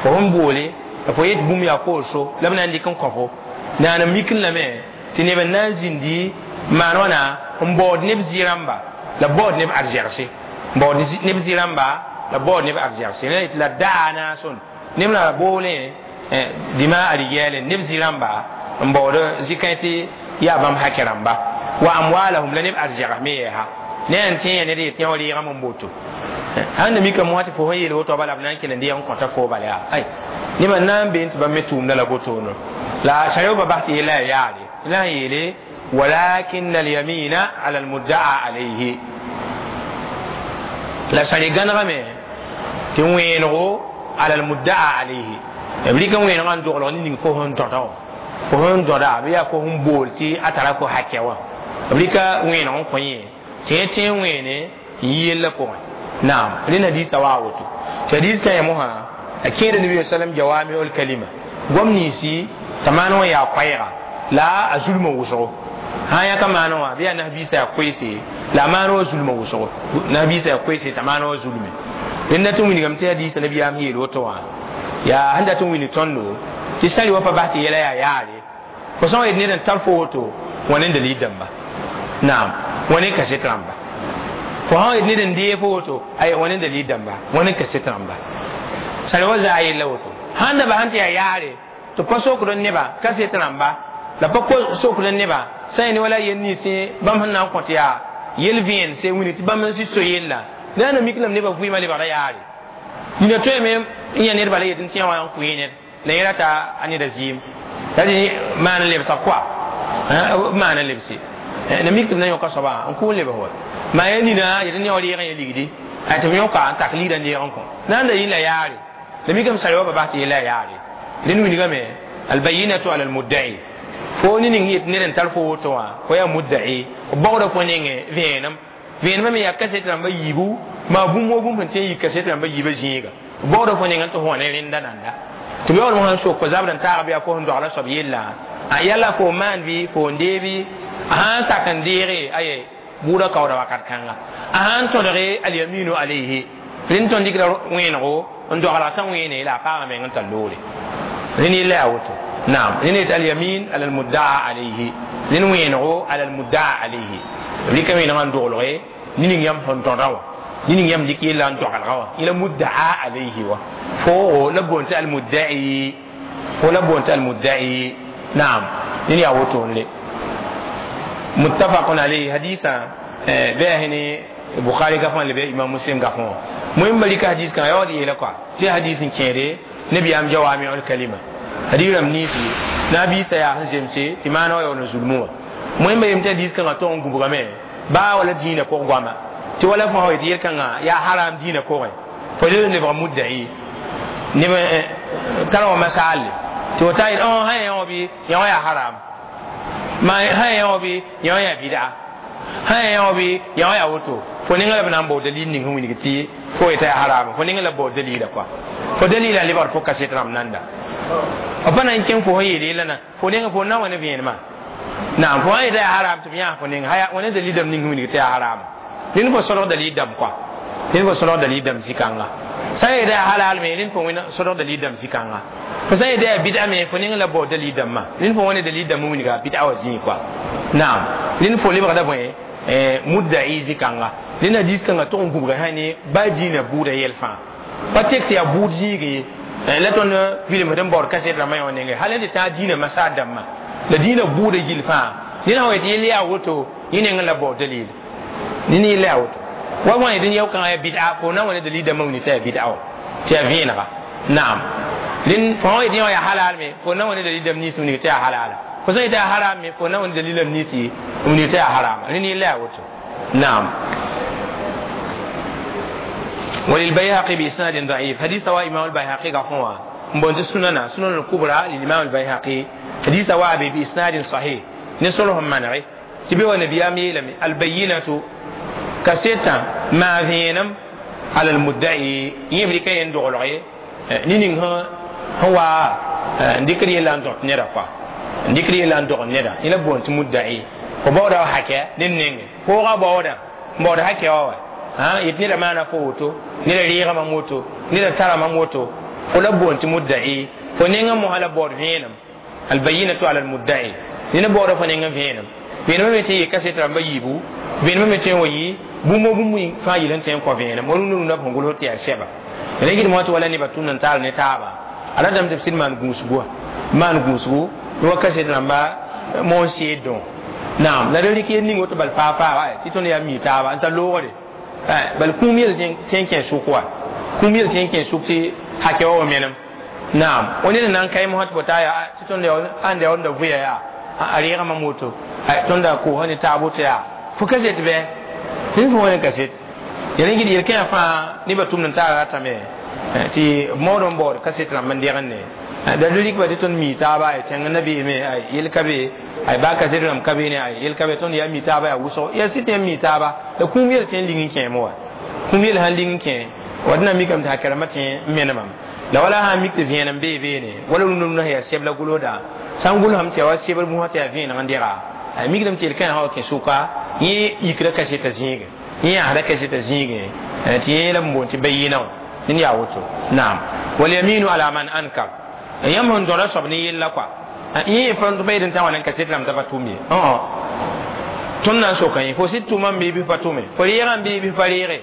Speaker 1: fo sẽn boole la fo yet bũmb yaa fo so la b na n dɩk n kõ fo naana mikn lame tɩ neb n na n zĩndi maan wãna n baood neb zɩ-rãmba la baood neb arzɛgse baood neb zɩ-rãmba la baood neb arzɛgse la yetɩ la daa naasõn neb la boolẽ dɩma a rigɛɛlẽ neb zɩ-rãmba n baood zɩ-kãe tɩ yaa bãmb hakɛ rãmba wa amwalahum la neb arzɛgs me yɛɛsa ne n tẽ ya ned yetɩ yã wa reegame n boto sãn da mikame wã tɩ fo sẽn yeel woto bala b na n kell n deeg n kõta fo bala yaa ay nebã na n bee tɩ bãmb me tʋʋmda la botono la sariya ba bas tɩ yella yaa yaare la sẽn yeele walakin alyamina ala almuddaa alayhi la sari gãnegame tɩ wẽenego ala almuddaa alayhi b rɩk n wẽenegã n doglg ne ning fo sẽn dõda wã fo sẽn dõda bɩ yaa fo sẽn bool tɩ a tara fo hakɛ wã b rɩka wẽeneg n kõ yẽ tɩ yẽ tẽ n wẽene n yi yella pʋgẽ naam rẽnd hadiisã waa woto tɩ hadiis kã yã mosã a kẽeda nabi sallam jawamiul kalima goam ninsi t'a maan wã yaa koɛɛga la a zulmã wʋsgo sã yãka maan wã bɩ yaa nasbiisã yaa koeese la a maan wã zulmã wʋsgo nasbiisã yaa koeese t'a maan wã zulme rẽnd dat n wilgame tɩ hadiisã nabiyaam yeel woto wã yaa sẽn dat n wilg tõndo tɩ sari wa pa bas tɩ yɛla yaa yaare fo sã n yet ned n tar fo woto wã ne dalil dãmba naam wã ne kaset rãmba fo sã n yet ned n dee fo woto ay wã ne dalil dãmba wã ne kaset rãmba sari wa zaa yella woto sãn da bas n tɩ yaa yaare tɩ pa sokd n nebã kaset rãmba la pa sokd n nebã sã n wala yel ninsẽ bãmb sẽn na n kõt yaa yel vẽense wini tɩ bãmb n sɩd so yella la na mik lame nebã vɩɩmã lebgda yaare nina tõeme n yã nedba la yet n tɩ yã wã n kʋɩ ned la yẽ rata a neda zɩɩm la dẽ maan n lebsa koa maan n lebse na mik tɩ b na yõka soaba n kʋ n lebs wa maa ya nina yet n yã wa reeg yẽ ligdi tɩ b yõka n tak ligda n deeg n kõ na n da yɩ la yaare la mikame sari wa pa bas tɩ yella yaare rẽnd wilgame albayinatu ala almudda'i fo ne ning yet ned n tar fo woto wã fo yaa mudda'i b baoodã fo nengẽ vẽenem vẽenemã me yaa kaset rãmba yiibu maa bũmb wa bũmb sẽn tẽ n yik kaset rãmba yiibã zĩiga b baoodã fo nengẽ tɩ fo wã ne rẽnda nanda tɩ b yaoolem sãn sok fo zabd n taag bɩ yaa fo sẽn dogla soab yella a yalla fo maan bɩ fo n dee bɩ a sãn sak n deege aye buudã kaooda wakat kãnga a sãn tõdge alyaminu alayhi rẽnd tõnd dɩkda wẽenego n doglg t'a wẽene la a paama meng n tar loore rẽnd yella yaa woto naam rẽnd yetɩ alyamin ala almuddaa alayhi rẽnd wẽenego ala almuddaa alayhi b rɩka wẽenegã n doglge ning yãmb sẽn tõda wã ning yãmb dɩk yella n dogelga wã yẽla muddaa alayhi wa fo la boon tɩ almuddai fo la boon tɩ almuddai naam ned yaa wotone muttafaqun alayhi hadisa bɩ yaa ne bukhari gafã le bɩ imam muslim gafã wã moẽmba rɩka hadis kãngã yaood yeela kɔa tɩ hadis n kẽede nabiyaam jawamiul kalima hadis rãmb niisi nabiisã yaa sẽn zemse tɩ maana wa yaool n zulmẽ wã moẽmba yem tɩ hadis kãngã tog n gubgame baa wala dĩinã pʋg goama tɩ wala fõ tɩ yel-kãngã yaa haram dĩinã pʋgẽ fo le lebg mudda'i neb tara wã masaalle tɩ fo taa yel sã yã wã bɩ yã wã yaa haram ma sã yã wã bɩ yã wã yaa bɩda sã yã wã bɩ yã wã yaa woto fo ninga la b na n bao dalil ning sẽn wilg tɩ fo yeta yaa haram fo ninga la b bao dalila kɔa fo dalila n lebgd fo kaset rãmb nanda b pa na n kẽng fo sẽn yeel yella na fo ninga fo na n wa ne vẽenemã naam fo sã yeta yaa haram tɩ b yãas fo ninga haya wã ne dalil dãmb ning sẽn wilg tɩ yaa haram rẽnd fo sõdg dalil dãmb kɔa rẽnd fo sõdg dalil dãmb zĩ-kãnga sã n yeta yaa halal me rẽnd fo wẽn sõdg dalil dãmb zĩ-kãnga fo sã n yeta yaa bɩda me fo ning la bao dalil dãmbã rẽnd fo wã ne dalil dãmb n wilga bɩda wã zĩig kɔa naam rẽnd fo lebgda bõe mudda'i zĩ-kãnga rẽnd hadis kãngã tog n gubga sã ne ba dĩinã buudã yɛl fãa pa tek tɩ yaa buud zĩig ye la tõnd vilem d n baood kaset rãmbã yõ nenge hal n tɩ tãag dĩinã masaad dãmbã la dĩinã buudã gill fãa ned sã wa yetɩ yell yaa woto yẽ nengẽ la baood dalil ned yella yaa woto wa wã yetɩ yao-kãngã yaa bɩda fo na n wa ne dalil dãmbã wilg tɩ yaa bɩda wã tɩ yaa vẽenega naam rẽnd fo sã wa yetɩ yã yaa halal me fo na n wa ne dalil dãmb nins wilg tɩ yaa halala fo sã n yetɩ yaa haram me fo na n wa ne dalil dãmb ninsi wilg tɩ yaa harama rẽnd yella yaa woto naam وللبيهقي بإسناد ضعيف حديث رواه إمام البيهقي غفوا مبونت سننا سنن الكبرى للإمام البيهقي حديث رواه بإسناد صحيح نسلهم منعي تبي النبي أمي البينة كسيتا ما فينم على المدعي يملك يندغلغي نينين هو ذكر يلا ندق نرا كوا ذكر يلا ندق نرا إلى بونت مدعي فبودا حكى نينين فوغا بودا بودا حكى هو ha yet neda maana fo woto neda reegã mam woto neda tara mam woto fo la boon tɩ mudda'i fo nengã mosã la baood vẽenem albayinatu ala almudda'i nena baooda fo nengã vẽenem vẽenemã me tɩ n yɩ kaset rãmba yiibu vẽenemã me tɩ n wa yɩ bũmb bũmb fãa yɩl n tẽ n kõ vẽenem wa rũndã rũndã b sẽn gʋls tɩ yaa sɛba la gɩd mosã tɩ wala nebã tʋmd n taal ne taaba a ratame tɩ b sɩd maan gũusgu wã maan gũusgu wa kaset rãmba moon seed dõ naam la d rɩk yel ning woto bal faa faa tɩ tõnd yaa mi taaba n tar loogre bal kũum yel tẽ n kẽ sʋk wa kũum yel tẽ n kẽ sʋk tɩ hakɛ wa wa menem naam o ned n na n kae mosã tɩ fo taa yaa tɩ tõnd ãnda yaoonda vʋya yaa a reega mam woto tõnda koosã ne taab woto yaa fo kaset bɩ rẽnd fo wã ne kaset yaa rẽ gɩd yel-kẽã fãa nebã tʋmd n taara ratame tɩ b maood n baood kaset rãmb n degende da rɩk ba tɩ tõnd mi taaba ay tẽng nabeeme ay yel ka be ay ba kaset rãmb ka beene ay yel ka be tõnd yaa mi taaba yaa wʋsgo yaa sɩd yãmb mi taaba la kũum yel tẽ n ling n kẽem wa kũum yel sãn ling n kẽ wa d na mikame tɩ hakɛ rãmbã tẽ n menemam la wala sã n mik tɩ vẽenem bee beene wala rũndã rũndã sẽn yaa sɛb la gʋlsda sã n gʋlsame tɩ yaa wa sebr bũsã tɩ yaa vẽeneg n dega a mikdame tɩ yel-kãã sã wa kẽ sʋka yẽ yikra kasetã zĩigẽ yẽ yãasda kasetã zĩigẽ tɩ yẽ la b boond tɩ bayɩnã wã ned yaa woto naam walyaminu ala man ankar yãmb sẽn dõda soab ne yella kɔa yẽ pa yet n tã wã n kaset rãmb t'a pa tʋm ye tõnd na n soka yẽ fo sɩd tʋma n bɩ bɩ pa tʋme fo reegã n bɩ bɩ pa reege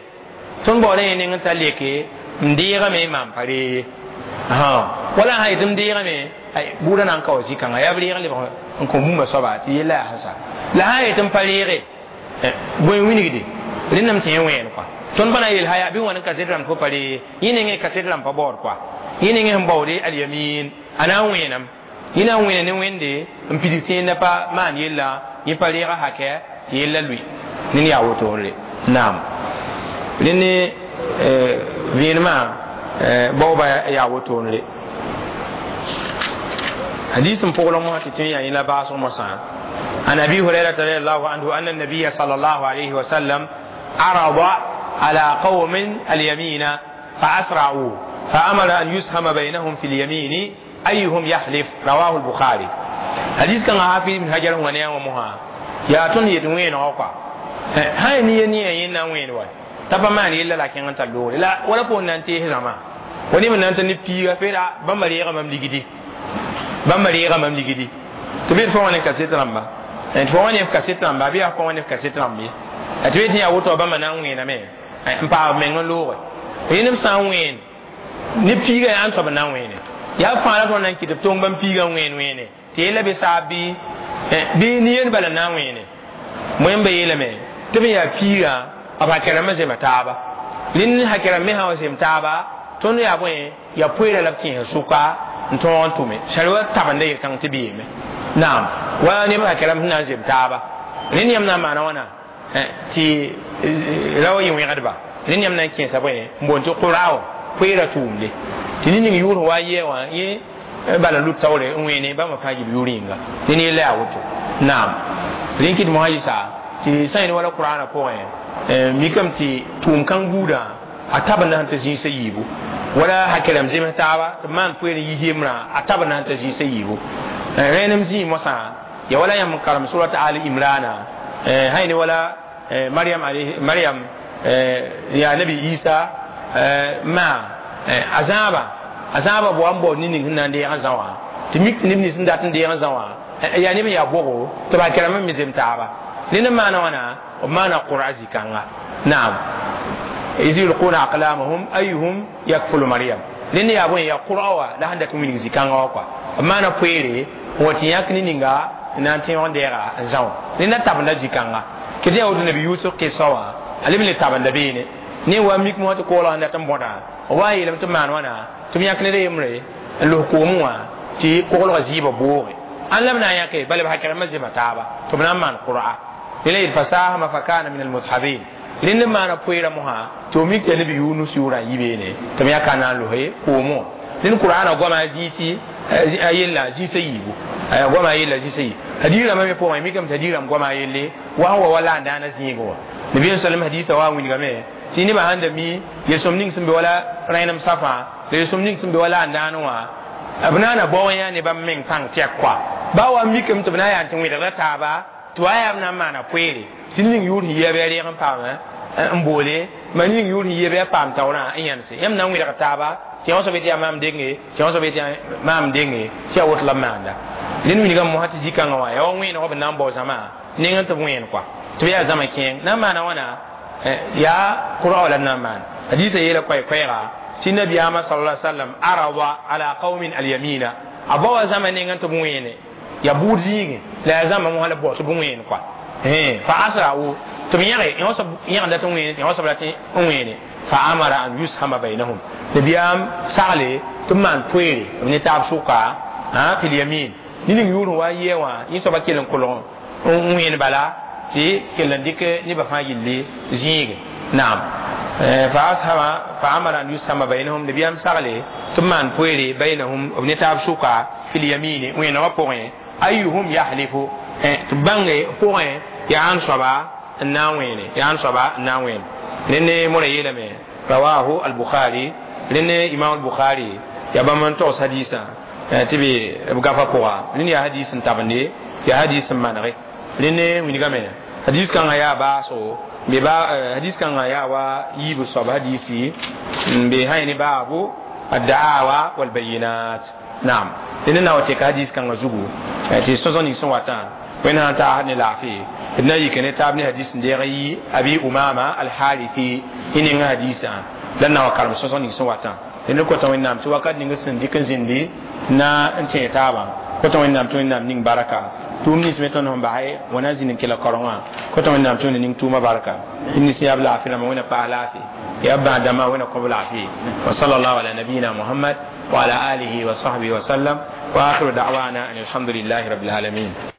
Speaker 1: tõnd baooda yẽ neng n ta leke n deegame maan pa ree ye wala sã yetɩ m deegame buudã na n ka wa zĩ-kãnga yaa b reeg lebg n kõ bũmba soaba tɩ yella yaa sẽsa la sã n yetɩ m pa reege bõe wilgde rẽndame tɩ yẽ wẽen kɔa tõnd pa na n yel yaa bɩ wãn n kaset rãmb fo pa ree yẽ nengẽ kaset rãmb pa baood kɔa yẽ nengẽ sẽn baoode alyamin a na n wẽenam yẽ na n wẽna ne wẽnde n pidig tɩ yẽnda pa maan yella yẽ pa reega hakɛ tɩ yella lʋɩ ned yaa wotore naam rẽnd ne vẽenemã baooba yaa wotone حديث فوق ما تتنيا إلى بعض مصان عن أبي هريرة رضي الله عنه أن النبي صلى الله عليه وسلم عرض على قوم اليمين فأسرعوا فأمر أن يسهم بينهم في اليمين أيهم يحلف رواه البخاري حديث كان حافظ من حجر ونيا ومها يا تون يتوين أوقع هاي نية نية ينا وين واي تبا ما نيلا لكن أنت لوري لا ولا فون نانتي هزما وني من نانتي نبيغا فيرا بمريغا مملكتي bãmb reega mam ligdi tɩ b fo wã ne kaset rãmba tɩ fo wã ne kaset rãmba bɩ yaa fo wã ne kaset rãmb ye Tɩ be tɩ yaa woto bãmba na n wẽename n paam b meng n looge rẽnd b sã n wẽen ne piiga yaa n soab n na n wẽene yaa fãa la tõnd na n kɩt b tong bãmb piigã n wẽen wẽene tɩ yella bɩ saab bɩ nin-yend bala n na n wẽene wẽmba yeelame tɩ b yaa piiga b hakɛrãmbã zema taaba rẽnd hakɛrãmb me sã wa zem taaba tõnd yaa bõe yaa poeera la b kẽesd sʋka n tõog n tʋme sar wa tabenda yel-kãng tɩ b yeeme naam wa neb hakɛrãmb sẽn na n zem taaba rẽnd yãmb na n maana wãna tɩ ra wa yɩ wẽgdba rẽnd yãmb na n kẽesa bõe n boond tɩ qurao poeera tʋʋmde tɩ ne ning yʋʋr wa yɛ wã yẽ bala lut taoore n wẽene bãmba fãa yib yʋʋr yĩnga ne ne yella yaa woto naam rẽn kɩt mosã yɩsa tɩ sã yẽnd wala qur'ana pʋgẽ mikame tɩ tʋʋm kãng buudã a tabenda sẽn tɩ zĩisã yiibu wala hakɛrãmb zems taaba tɩ b maan poeer n yi yembrã a tabenda sẽn tɩ zĩisã yiibu rẽenem zĩig mosã ya wala yãmb n karem surat ali imrana sã yẽne wala mariam mariam yaa nabi isa ma a zãaba a zãaba bao n bao ne-ning sẽn na n deeg n zã wã tɩ mik tɩ neb nins sẽn dat n deeg n zã wã yaa neb n yaa bogo tɩ b hakɛrãmbã me zem taaba rẽnd n maana wãna b maana qur'a zĩ-kãnga naam iz yulquna aqlamahum ayuhum yakfulu maryam rẽnd yaa bõe yaa qur'a wa la sẽn dat n wilg zĩ-kãngã wã kɔa b maana poeere n wa tɩ yãk ne ninga n na n tẽog n deega n zã wã rẽnda tabenda zĩ-kãnga kɩ tɩ yaa woto nabi yusuf kɩsa wã a leb n le tabenda beene ne wa mik mosã tɩ koolg sẽn dat n bõda b wa n yeelame tɩ b maan wãna tɩ b yãk ned a yembre n los koomẽ wã tɩ koglgã zɩɩbã booge ãn la b na n yãke bala b hakɛrãmbã zema taaba tɩ b na n maan qur'a rẽla yel fasahama fa kana min almudhabin rẽnd n maana poeera mosã tɩ f mik tɩ nabi yunus yʋʋrã n yi beene tɩ b yãka na n lose koomẽ wã rẽnd qur'ana goama a zĩisi a yella zĩisã yiibu goama a yella zĩisã yiib hadiis rãmbã me pʋgẽ mikame tɩ hadiis rãmb goama a yelle wa sẽn wa wa la n daana zĩigẽ wã nabiya sallam hadiisã wa n wilgame tɩ nebã sãn da mi yel-sõm ning sẽn be wala rẽnem safã la yel-sõm ning sẽn be wala n daan wã b naana bao n yaa ne bãmb meng pãng tɛk koa ba wa mikame tɩ b na n yaa tɩ wẽdgda taaba tɩ wa yaa b na n maana poeere tɩ ning yʋʋr sẽn yia bɩ a reeg n paam n boole ma ning yʋʋr sẽn yia bɩ a paam taoorã n yãnse yãmb na n wẽdg taaba tɩ yã soab tɩ yaa maam denge tɩ yã soab tɩ yaa maam denge tɩ yaa woto la b maanda rẽnd wilgame mosã tɩ zĩ-kãngã wã yaa wa wẽenegã b na n bao zãma neng n tɩ b wẽen koa tɩ b yaa zãma kẽeng na n maana wãna yaa qur'a la na n maan hadisa yeela koɛɛ-koɛɛga tɩ nabiyaamã sala sallam arada ala qaumin alyamina a baoa zãma neng n tɩ b wẽene yaa buud zĩigẽ la yaa zãma mosã la b bao tɩ b wẽen koa fa asra'u tɩ b yẽge yõ soab yẽgenda tɩ wẽene tɩ yõ soab la tɩ n wẽene fa amara an yushama bainahum nabiyaam sagle tɩ b maan poeere b ne taab sʋka fil yamin ne ning yʋʋr wa n yɩa wã yẽ soaba kell n kolg n wẽen bala tɩ kell n dɩk nebã fãa yelle zĩige naam fa ashama fa amara an yushama bainahum nabiyaam sagle tɩ b maan poeere bainahum b ne taab sʋka fil yamine wẽenegã pʋgẽ ayuhum yahlifu tɩ b bãnge pʋgẽ yaa n soaba n na n wẽene yaa n soaba n na n wẽen rẽnd mora yeelame rawahu al-bukhari rẽnd imam al-bukhari yaa bãmb n togs hadiisã tɩ be b gafa pʋga rẽnd yaa hadiis n tabende yaa hadiis n manege rẽnd wilgame hadis kãngã yaa baasgo be ba hadis kãngã yaa wa yiib soab hadisi n be sã ne baabu addaawa walbayinat naam rẽnd na wa tɩka hadis kãngã zugu tɩ sõsg ning sẽn watã wẽnd sã n taasd ne laafɩ d na yik ne taab ne hadis n deeg n yi abi umama alharithi y ninga hadisã la n na wa karem sõsg ning sẽn watã rẽnd kota wẽnnaam tɩ wakat ning sẽn dɩk n zĩndi na n tẽeg taabã kota wẽnnaam tɩ wẽnnaam ning baraka tʋʋm nins me tõnd sẽn basɛ wã na n zĩnd n kela kaorengã kota wẽnnaam tɩ wẽnna ning tʋʋma barka nins yaa b laafɩ rãmbã wẽnna paas laafɩ yaa b bãad dãmbã wẽnna kõb laafɩ wa sallallahu ala nabiyina muhammad wa ala alihi wa sahbihi wa sallam wa akhiru da'wana an alhamdulillahi rabbil alamin.